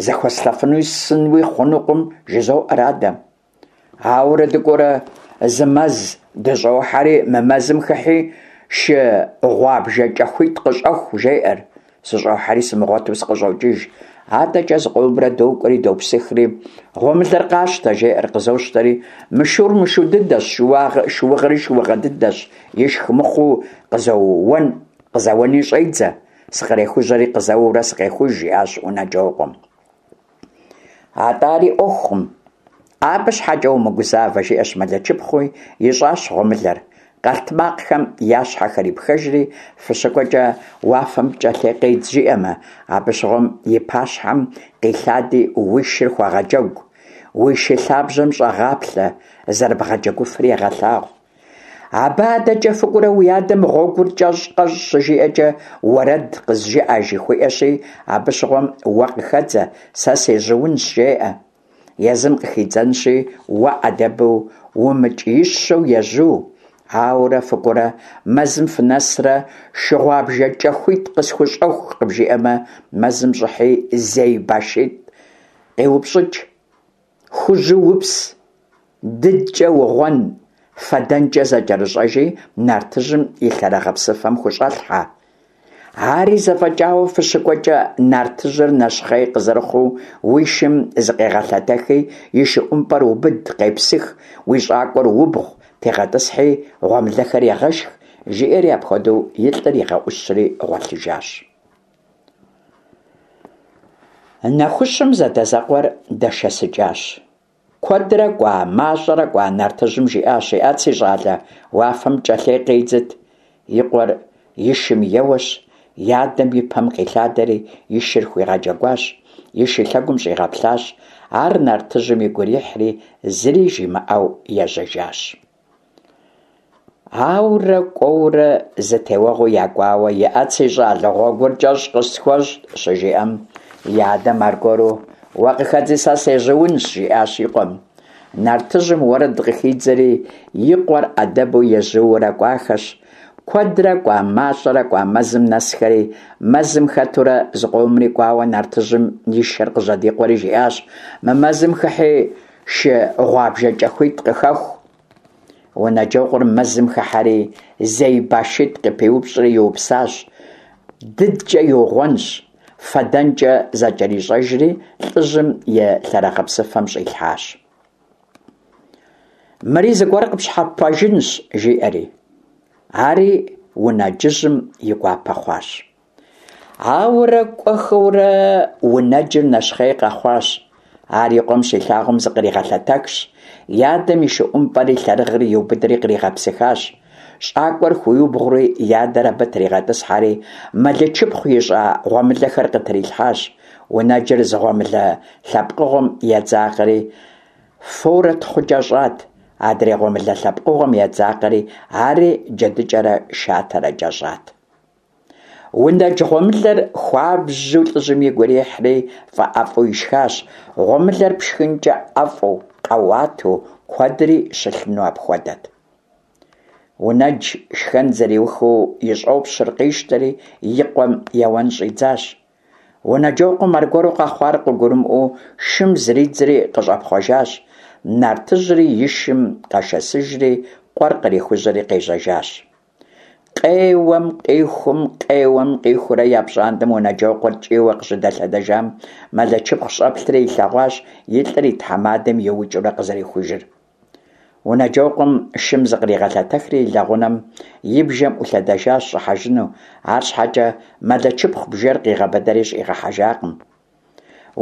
зэхуэслъэфынуи ссынуи хъунукъым, жызоӀэр адэм. Ауэрэ дыкӀуэурэ зы мэз дыщӀохьэри, мы мэзым хыхьи шы гъуабжэ кӀэхуитӀ къыщӀэху, жеӀэр. СыщӀохьэри сымыгъуэту сыкъыщӀокӀыж. АдэкӀэ зыкъомрэ докӀуэри допсыхри, гъуэмылэр къащтэ, жеӀэр, къызощтэри, мы шур мышу дыдэщ, шыугъэри шыугъэ дыдэщ, ишх мыхъуу къызэуэн къызэуэни щӀедзэ. Сыкърехужьэри къызэуэурэ сыкъехуж, жиӀащ Унэджокъуэм. Атӏэ ари Ӏуэхукъым, абы щхьэкӀэ умыгузавэ, жиӀэщ Мэлэчыпхъуи, ищӀащ гъуэмылэр. Къэлътмакъхэм я щхьэхэр ипхэжри, фыщыкӀуэкӀэ уафэм пкӀэлъей къедз жиӀэмэ, абы щыгъуэм и пащхьэм къилъади уи шыр хуэгъэджэгу, уи шы лъабжьэм щӀэгъаплъэ, зэрыбгъэджэгуфыр егъэлъагъу. Абы адэкӀэ фыкӀуэрэ уи адэм гъуэгур кӀэщӀ къэщӀ щыжиӀэкӀэ, уэрэд къызжыӀэ жыхуиӀэщи, абы щыгъуэм уэ къыхэдзэ, сэ сежьуунщ, жеӀэ. Езым къыхидзэнщи, уэ Ӏэдэбу умыкӀиищэу ежьу. Ауэрэ фыкӀуэрэ мэзым фынэсрэ шы гъуабжэ кӀэхуитӀ къысхущӀэху къыбжиӀэмэ, мэзым щӀыхьи зей башитӀ къиупщӀыкӀ, хужьу упс, дыдкӀэ угъуэн, фэдэнкӀэ зэкӀэрыщӀэжи, нартыжьым и лъэрыгъыпсыфэм хущӀэлъхьэ. Ари зэфӀэкӀауэ фыщыкӀуэкӀэ, нартыжьыр нэщхъей къызэрыхъуу, уи шым зыкъегъэлъэтэхи, и шы ӀумпӀэр убыд, къепсых, уи щӀакӀуэр убгъу, тегъэтӀысхьи, гъуэмылэхэр егъэшх, жиӀэри апхуэдэу и лӀыр игъэӀущри гъуэлъыжащ. Нэхущым зэдэзэкъуэр дэшэсыкӀащ. Куэдрэ кӀуа, мащӀэрэ кӀуа, нартыжьым жиӀащ: «ИӀэт, си щӀалэ, уафэм пкӀэлъей къедзыт». И къуэр и шым еуэщ, и адэм и пэм къилъадэри и шыр хуигъэджэгуащ, и шы лъэгум щӀигъэплъащ. Ар нартыжьым игу ирихьри, зыри жимыӀэу ежьэжащ. Ауэрэ кӀуэурэ зы теуэгъуи якӀуауэ, «ИӀэт, си щӀалэ, гъуэгур кӀэщӀ къысхуэщӀ», щыжиӀэм, и адэм аргуэру «Уэ къыхэдзи, сэ сежьуунщ», жиӀащ и къуэм. Нартыжьым уэрэд къыхидзэри, и къуэр Ӏэдэбу ежьуурэ кӀуахэщ. Куэдрэ кӀуа, мащӀэрэ кӀуа, мэзым нэсхэри, мэзым хэтурэ зыкъомри кӀуауэ, нартыжьым и шэр къыжьэдикъуэри жиӀащ: «Мы мэзым хыхьи шы гъуабжэ кӀэхуитӀ къыхэху». Унэджокъуэр мэзым хыхьэри зей башитӀ къыпиупщӀри иупсащ, дыдкӀэ иугъуэнщ, фэдэнкӀэ зэкӀэрищӀэжри, лӀыжьым и лъэрыгъыпсыфэм щӀилъхьащ. Мыри зыгуэр къыпщхьэпэжынщ, жиӀэри. Ари унэджыжьым и гуапэ хъуащ. Ауэрэ кӀуэхэурэ унэджыр нэщхъей къэхъуащ. Ар и къуэм щилъагъум зыкъригъэлъэтэхщ, и адэм и шы ӀумпӀэри лъэрыгъри иубыдри къригъэпсыхащ. ЩӀакӀуэр хуиубгъури, и адэр абы тригъэтӀысхьэри, Мэлэчыпхъу ищӀа гъуэмылэхэр къытрилъхьащ. Унэджыр зы гъуэмылэ лъэпкъыгъуэм едзакъэри, форэ тхъукӀэ щӀат. Адрей гъуэмылэ лъэпкъыгъуэм едзакъэри, ари джэдыкӀэрэ шатэрэкӀэ щӀат. Унэдж гъуэмылэр хуабжьу лӀыжьым игу ирихьри, фӀэӀэфӀу ишхащ. Гъуэмылэр пшхынкӀэ ӀэфӀу, къэуату, куэдри щылъыну апхуэдэт. Унэдж шхэн зэриухыу и щӀопщыр къищтэри и къуэм еуэн щӀидзащ. Унэджокъуэм аргуэру къэхъуар къыгурымыӀуэу шым зридзри къыщӀэпхъуэжащ. Нартыжьри и шым къэшэсыжри къуэр кърихужьэри къежьэжащ. Къеуэм къихум, къеуэм къихуурэ я пщӀантӀэм Унэджокъуэр кӀийуэ къыщыдэлъэдэжам, Мэлычыпхъу щӀэплъри илъэгъуащ и лӀыр и тхьэмадэм иукӀыурэ къызэрихужыр. Унэджокъуэм шым зыкъригъэлъэтэхри и лэгъунэм и бжэм Ӏулъэдэжащ щӀыхьэжыну, арщхьэкӀэ Мэлычыпхъу бжэр къигъэбыдэри щӀигъэхьэжакъым.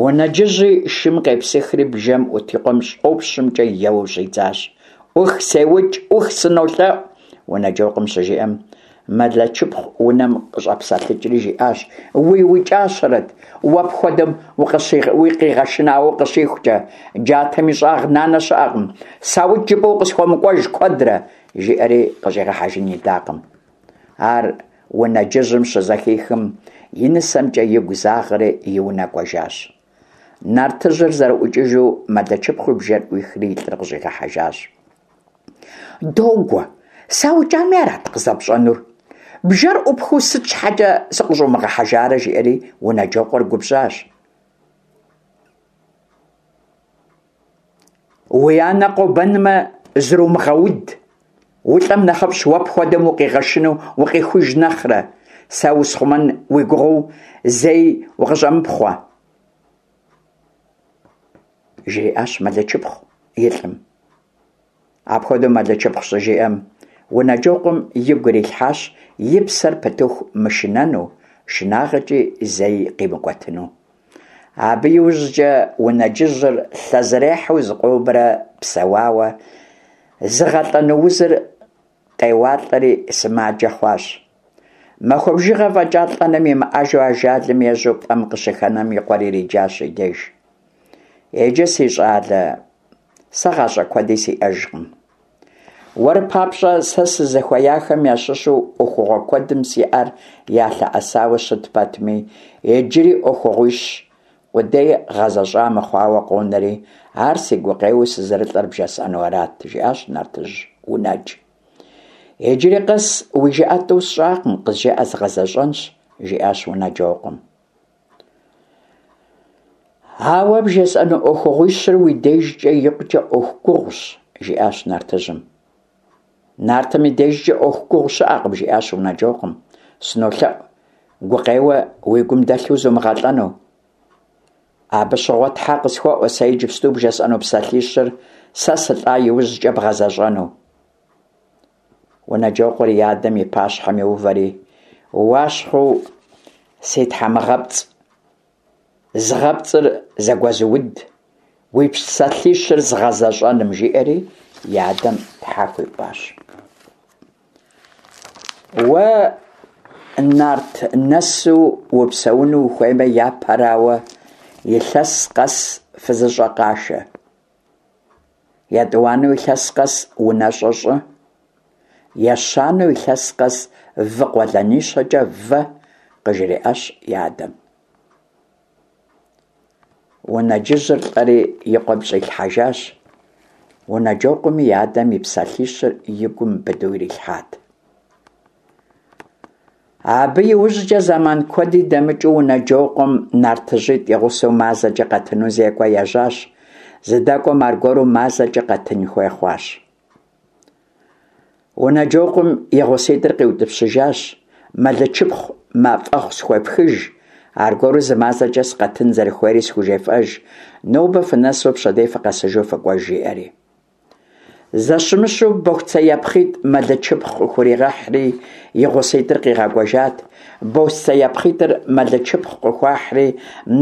Унэджыжьи шым къепсыхри бжэм Ӏут и къуэм щӀопщымкӀэ еуэу щӀидзащ. «Ӏух, сеукӀ, Ӏух, сынолъэӀу!» Унэджокъуэм щыжиӀэм, Мэлычыпхъу унэм къыщӀэпсэлъыкӀри жиӀащ: «УиукӀащэрэт, уэ пхуэдэм укъигъэшынауэ укъыщихукӀэ, джатэм и щӀагъ нанэ щыӀэкъым, саукӀ жыпӀэу къысхуэмыкӀуэж куэдрэ!» жиӀэри къыщӀигъэхьэжын идакъым. Ар Унэджыжьым щызэхихым, и нысэмкӀэ игу загъэри и унэ кӀуэжащ. Нартыжьыр зэрыӀукӀыжу Мэлычыпхъуи бжэр Ӏуихри и лӀыр къыщӀигъэхьэжащ. «Догуэ, саукӀами арат къызэпщӀэнур? Бжэр Ӏупхыу сыт щхьэкӀэ сыкъыщӀумыгъэхьэжарэ?» жиӀэри Унэджокъуэр губжьащ. «Уи анэ къобэнмэ, зрумыгъэуд, улӀэм нэхъыфӀщ, уэ пхуэдэм укъигъэшыну укъихуж нэхърэ, сэ усхъумэн уи гугъэу зэи укъыщӀэмыпхъуэ!» жриӀащ Мэлычыпхъу и лӀым. Апхуэдэу Мэлычыпхъу щыжиӀэм, Унэджокъуэм игу ирилъхьащ и псэр пытыху мышынэну, шынагъэкӀи зэи къимыкӀуэтыну. Абы иужькӀэ Унэджыжьыр лъэзэрехьэу зыкъомрэ псэуауэ, зыгъэлӀэну узыр къеуалӀэри сымаджэ хъуащ. Махуэ бжыгъэ фӀэкӀа лӀэным имыӀэжу ажалым ежьэу пӀэм къыщыхэнэм и къуэр ириджащ и деж. «Иджы, си щӀалэ, сэ гъащӀэ куэди сиӀэжкъым. Уэр папщӀэ сэ сызыхуеяхэм ящыщу Ӏуэхугъуэ куэдым си Ӏэр ялъэӀэсауэ щыт пэтми, иджыри Ӏуэхугъуищ къудей гъэзэщӀа мыхъуауэ къонэри, ар си гукъеуэу сызэрылӀэр бжесӀэну арат», жиӀащ нартыжь Унэдж. «Иджыри къэс уи жыӀэ тӀу сщӀакъым, къызжеӀэ, згъэзэщӀэнщ», жиӀащ Унэджокъуэм. «Ауэ бжесӀэну Ӏуэхугъуищыр уи дежкӀэ икъукӀэ Ӏуэху гугъущ», жиӀащ нартыжьым. «Нартым и дежкӀэ Ӏуэху гугъу щыӀэкъым», жиӀащ Унэджокъуэм. «СынолъэӀу, гукъеуэ уи гум дэлъу зумыгъэлӀэну. Абы щыгъуэ тхьэ къысхуэӀуэ сэ иджыпсту бжесӀэну псалъищыр сэ сылӀа иужькӀэ бгъэзэщӀэну». Унэджокъуэр и адэм и пащхьэм иувэри: «Уащхъуэу си тхьэмыгъэпцӀ, згъэпцӀыр зэгуэзыуд, уи псалъищыр згъэзэщӀэным», жиӀэри и адэм тхьэ хуиӀуащ. «Уэ нарт нэсу упсэуну ухуеймэ, япэрауэ, илъэс къэс фызыщӀэ къашэ. ЕтӀуанэу, илъэс къэс унэщӀэ щӀы. Ещанэу, илъэс къэс вы къуэлэнищэкӀэ вэ», къыжриӀащ и адэм. Унэджыжьыр лӀэри и къуэм щӀилъхьэжащ. Унэджокъуэми и адэм и псалъищыр и гум быдэу ирилъхьат. Абы иужькӀэ зэман куэди дэмыкӀыу Унэджокъуэм нартыжьитӀ и гъусэу мазэкӀэ къэтыну зекӀуэ ежьащ. ЗыдэкӀуэм аргуэру мазэкӀэ къэтын хуей хъуащ. Унэджокъуэм и гъуситӀыр къиутӀыпщыжащ: «Мэлычыпхъу мафӀэгъу схуефхыж, аргуэру зы мазэкӀэ сыкъэтын зэрыхуейри схужефӀэж, нобэ фынэсу пщэдей фыкъэсыжу фыкӀуэж», жиӀэри. Зэщымыщу бохуцеяпхъитӀ Мэлычыпхъу къыхуригъэхьри и гъуситӀыр къигъэкӀуэжат. БосцеяпхъитӀыр Мэлычыпхъу къыхуахьри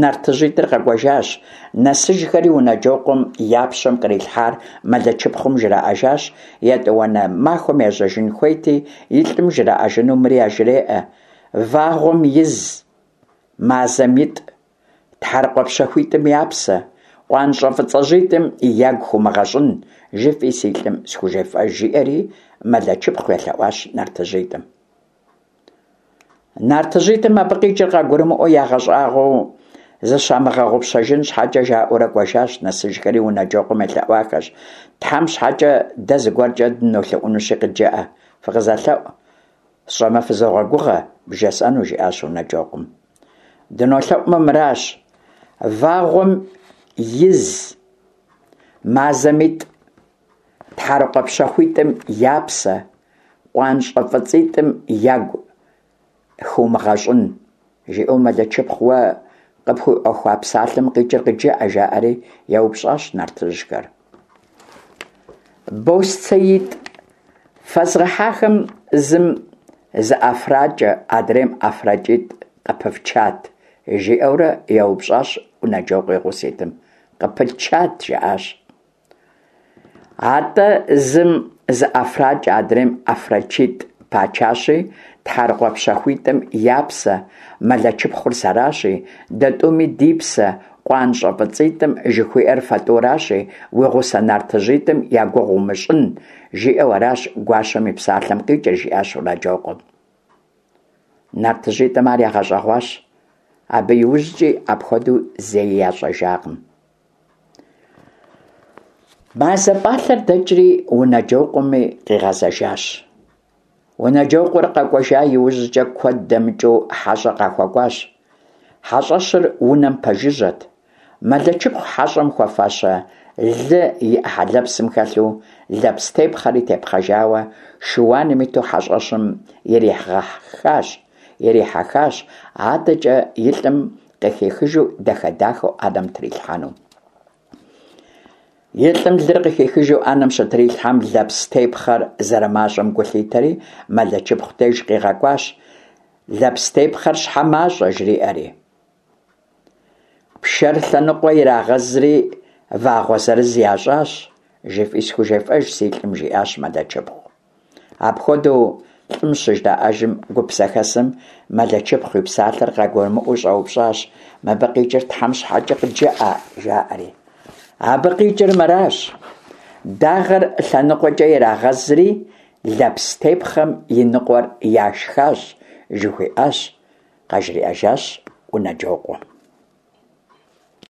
нартыжьитӀыр къэкӀуэжащ. Нэсыжхэри Унэджокъуэм я пщэм кърилъхьар Мэлычыпхъум жраӀэжащ. ЕтӀуанэ махуэм ежьэжын хуейти, и лӀым жраӀэжыну мыри яжреӀэ: «Вагъуэм из, мазэм итӀ, тхьэрыкъуэ пщэхуитӀым я псэ, Къуанщӏэ фӏыцӏэжьитӏым ягу хыумыгъэщӏын, жыфӏи си лӏым схужефӏэж, – жиӏэри Мэлэчыпхъу елъэӏуащ нартыжьитӏым. Нартыжьитӏым абы къикӏыр къагурымыӏуэу ягъэщӏагъуэу, зыщамыгъэгъупщэжын щхьэкӏэ жаӏэурэ кӏуэжащ, нэсыжхэри Унэджокъуэм елъэӏуахэщ: «Тхьэм щхьэкӏэ, дэ зыгуэркӏэ дынолъэӏунущи къыджэӏэ». «Фыкъызэлъэӏу, сщӏэмэ фызогъэгугъэ вжесӏэну», – жиӏащ Унэджокъуэм. «Дынолъэӏумэ, мыращ: вагъуэм из, мазэм итӏ, тхьэрыкъуэ пщэхъуитӏым я псэ, къуанщӏэ фӏыцӏитӏым ягу хыумыгъэщӏын», – жиӏэу Мэлэчыпхъу уэ къыпхуиӏуэхуа псалъэм къикӏыр къыджэӏэ, – жаӏэри еупщӏащ нартыжьхэр. «Босцеитӏ фэзгъэхьахэм зым зы ӏэфракӏэ, адрейм ӏэфракӏитӏ къыпыфчат?» – жиӏэурэ еупщӏащ Унэджокъуэ и гъуситӏым. «Къыпытчат», – жаӏащ. «Атӏэ зым зы ӏэфракӏэ, адрейм ӏэфракӏитӏ пачащи, тхьэрыкъуэ пщэхъуитӏым я псэ, Мэлэчыпхъур сэращи, дэ тӏуми ди псэ, къуанщӏэ фӏыцӏитӏым жыхуиӏэр фэ тӏуращи, уи гъусэ нартыжьитӏым я гугъу умыщӏын, жиӏэу аращ гуащэм и псалъэм къикӏыр», – жиӏащ Унэджокъуэм. Нартыжьитӏым ар ягъэщӏэгъуащ. Абы иужькӏи апхуэдэу зэи ящӏэжакъым. Мазэ пӏалъэр дэкӏри Унэджокъуэми къигъэзэжащ. Унэджокъуэр къэкӏуэжа иужькӏэ куэд дэмыкӏыу хьэщӏэ къахуэкӏуащ. Хьэщӏэщыр унэм пэжыжьэт. Мэлэчыпхъу хьэщӏэм хуэфащэ лы и ӏыхьэ лэпсым хэлъу, лэпс тепхъэри тепхъэжауэ, шыуаным иту хьэщӏэщым ирихьэхащ, ирихьэхащ, адэкӏэ и лӏым къыхихыжу дахэ-дахэу ӏэнэм трилъхьэну. И лӏым лыр къыхихыжу ӏэнэм щытрилъхьэм, лэпс тепхъэр зэрымащӏэм гу лъитэри, Мэлэчыпхъу деж къигъэкӏуащ: «Лэпс тепхъэр щхьэ мащӏэ?» – жриӏэри. «Пшэр лъэныкъуэ ирагъэзри вагъуэ зырыз ящӏащ, жыфӏи схужефӏэж си лӏым», – жиӏащ Мэлэчыпхъу. Апхуэдэу лӏым щыжраӏэжым, гуп зэхэсым Мэлэчыпхъу и псалъэр къагурымыӏуэу щӏэупщӏащ: «Мыбы къикӏыр Тхьэм щхьэкӏэ къыджэӏэ», – жаӏэри. «Абы къикӏыр мыращ: дагъэр лъэныкъуэкӏэ ирагъэзри лэпс тепхъэм и ныкъуэр яшхащ, жыхуиӏащ», – къажриӏэжащ Унэджокъуэм.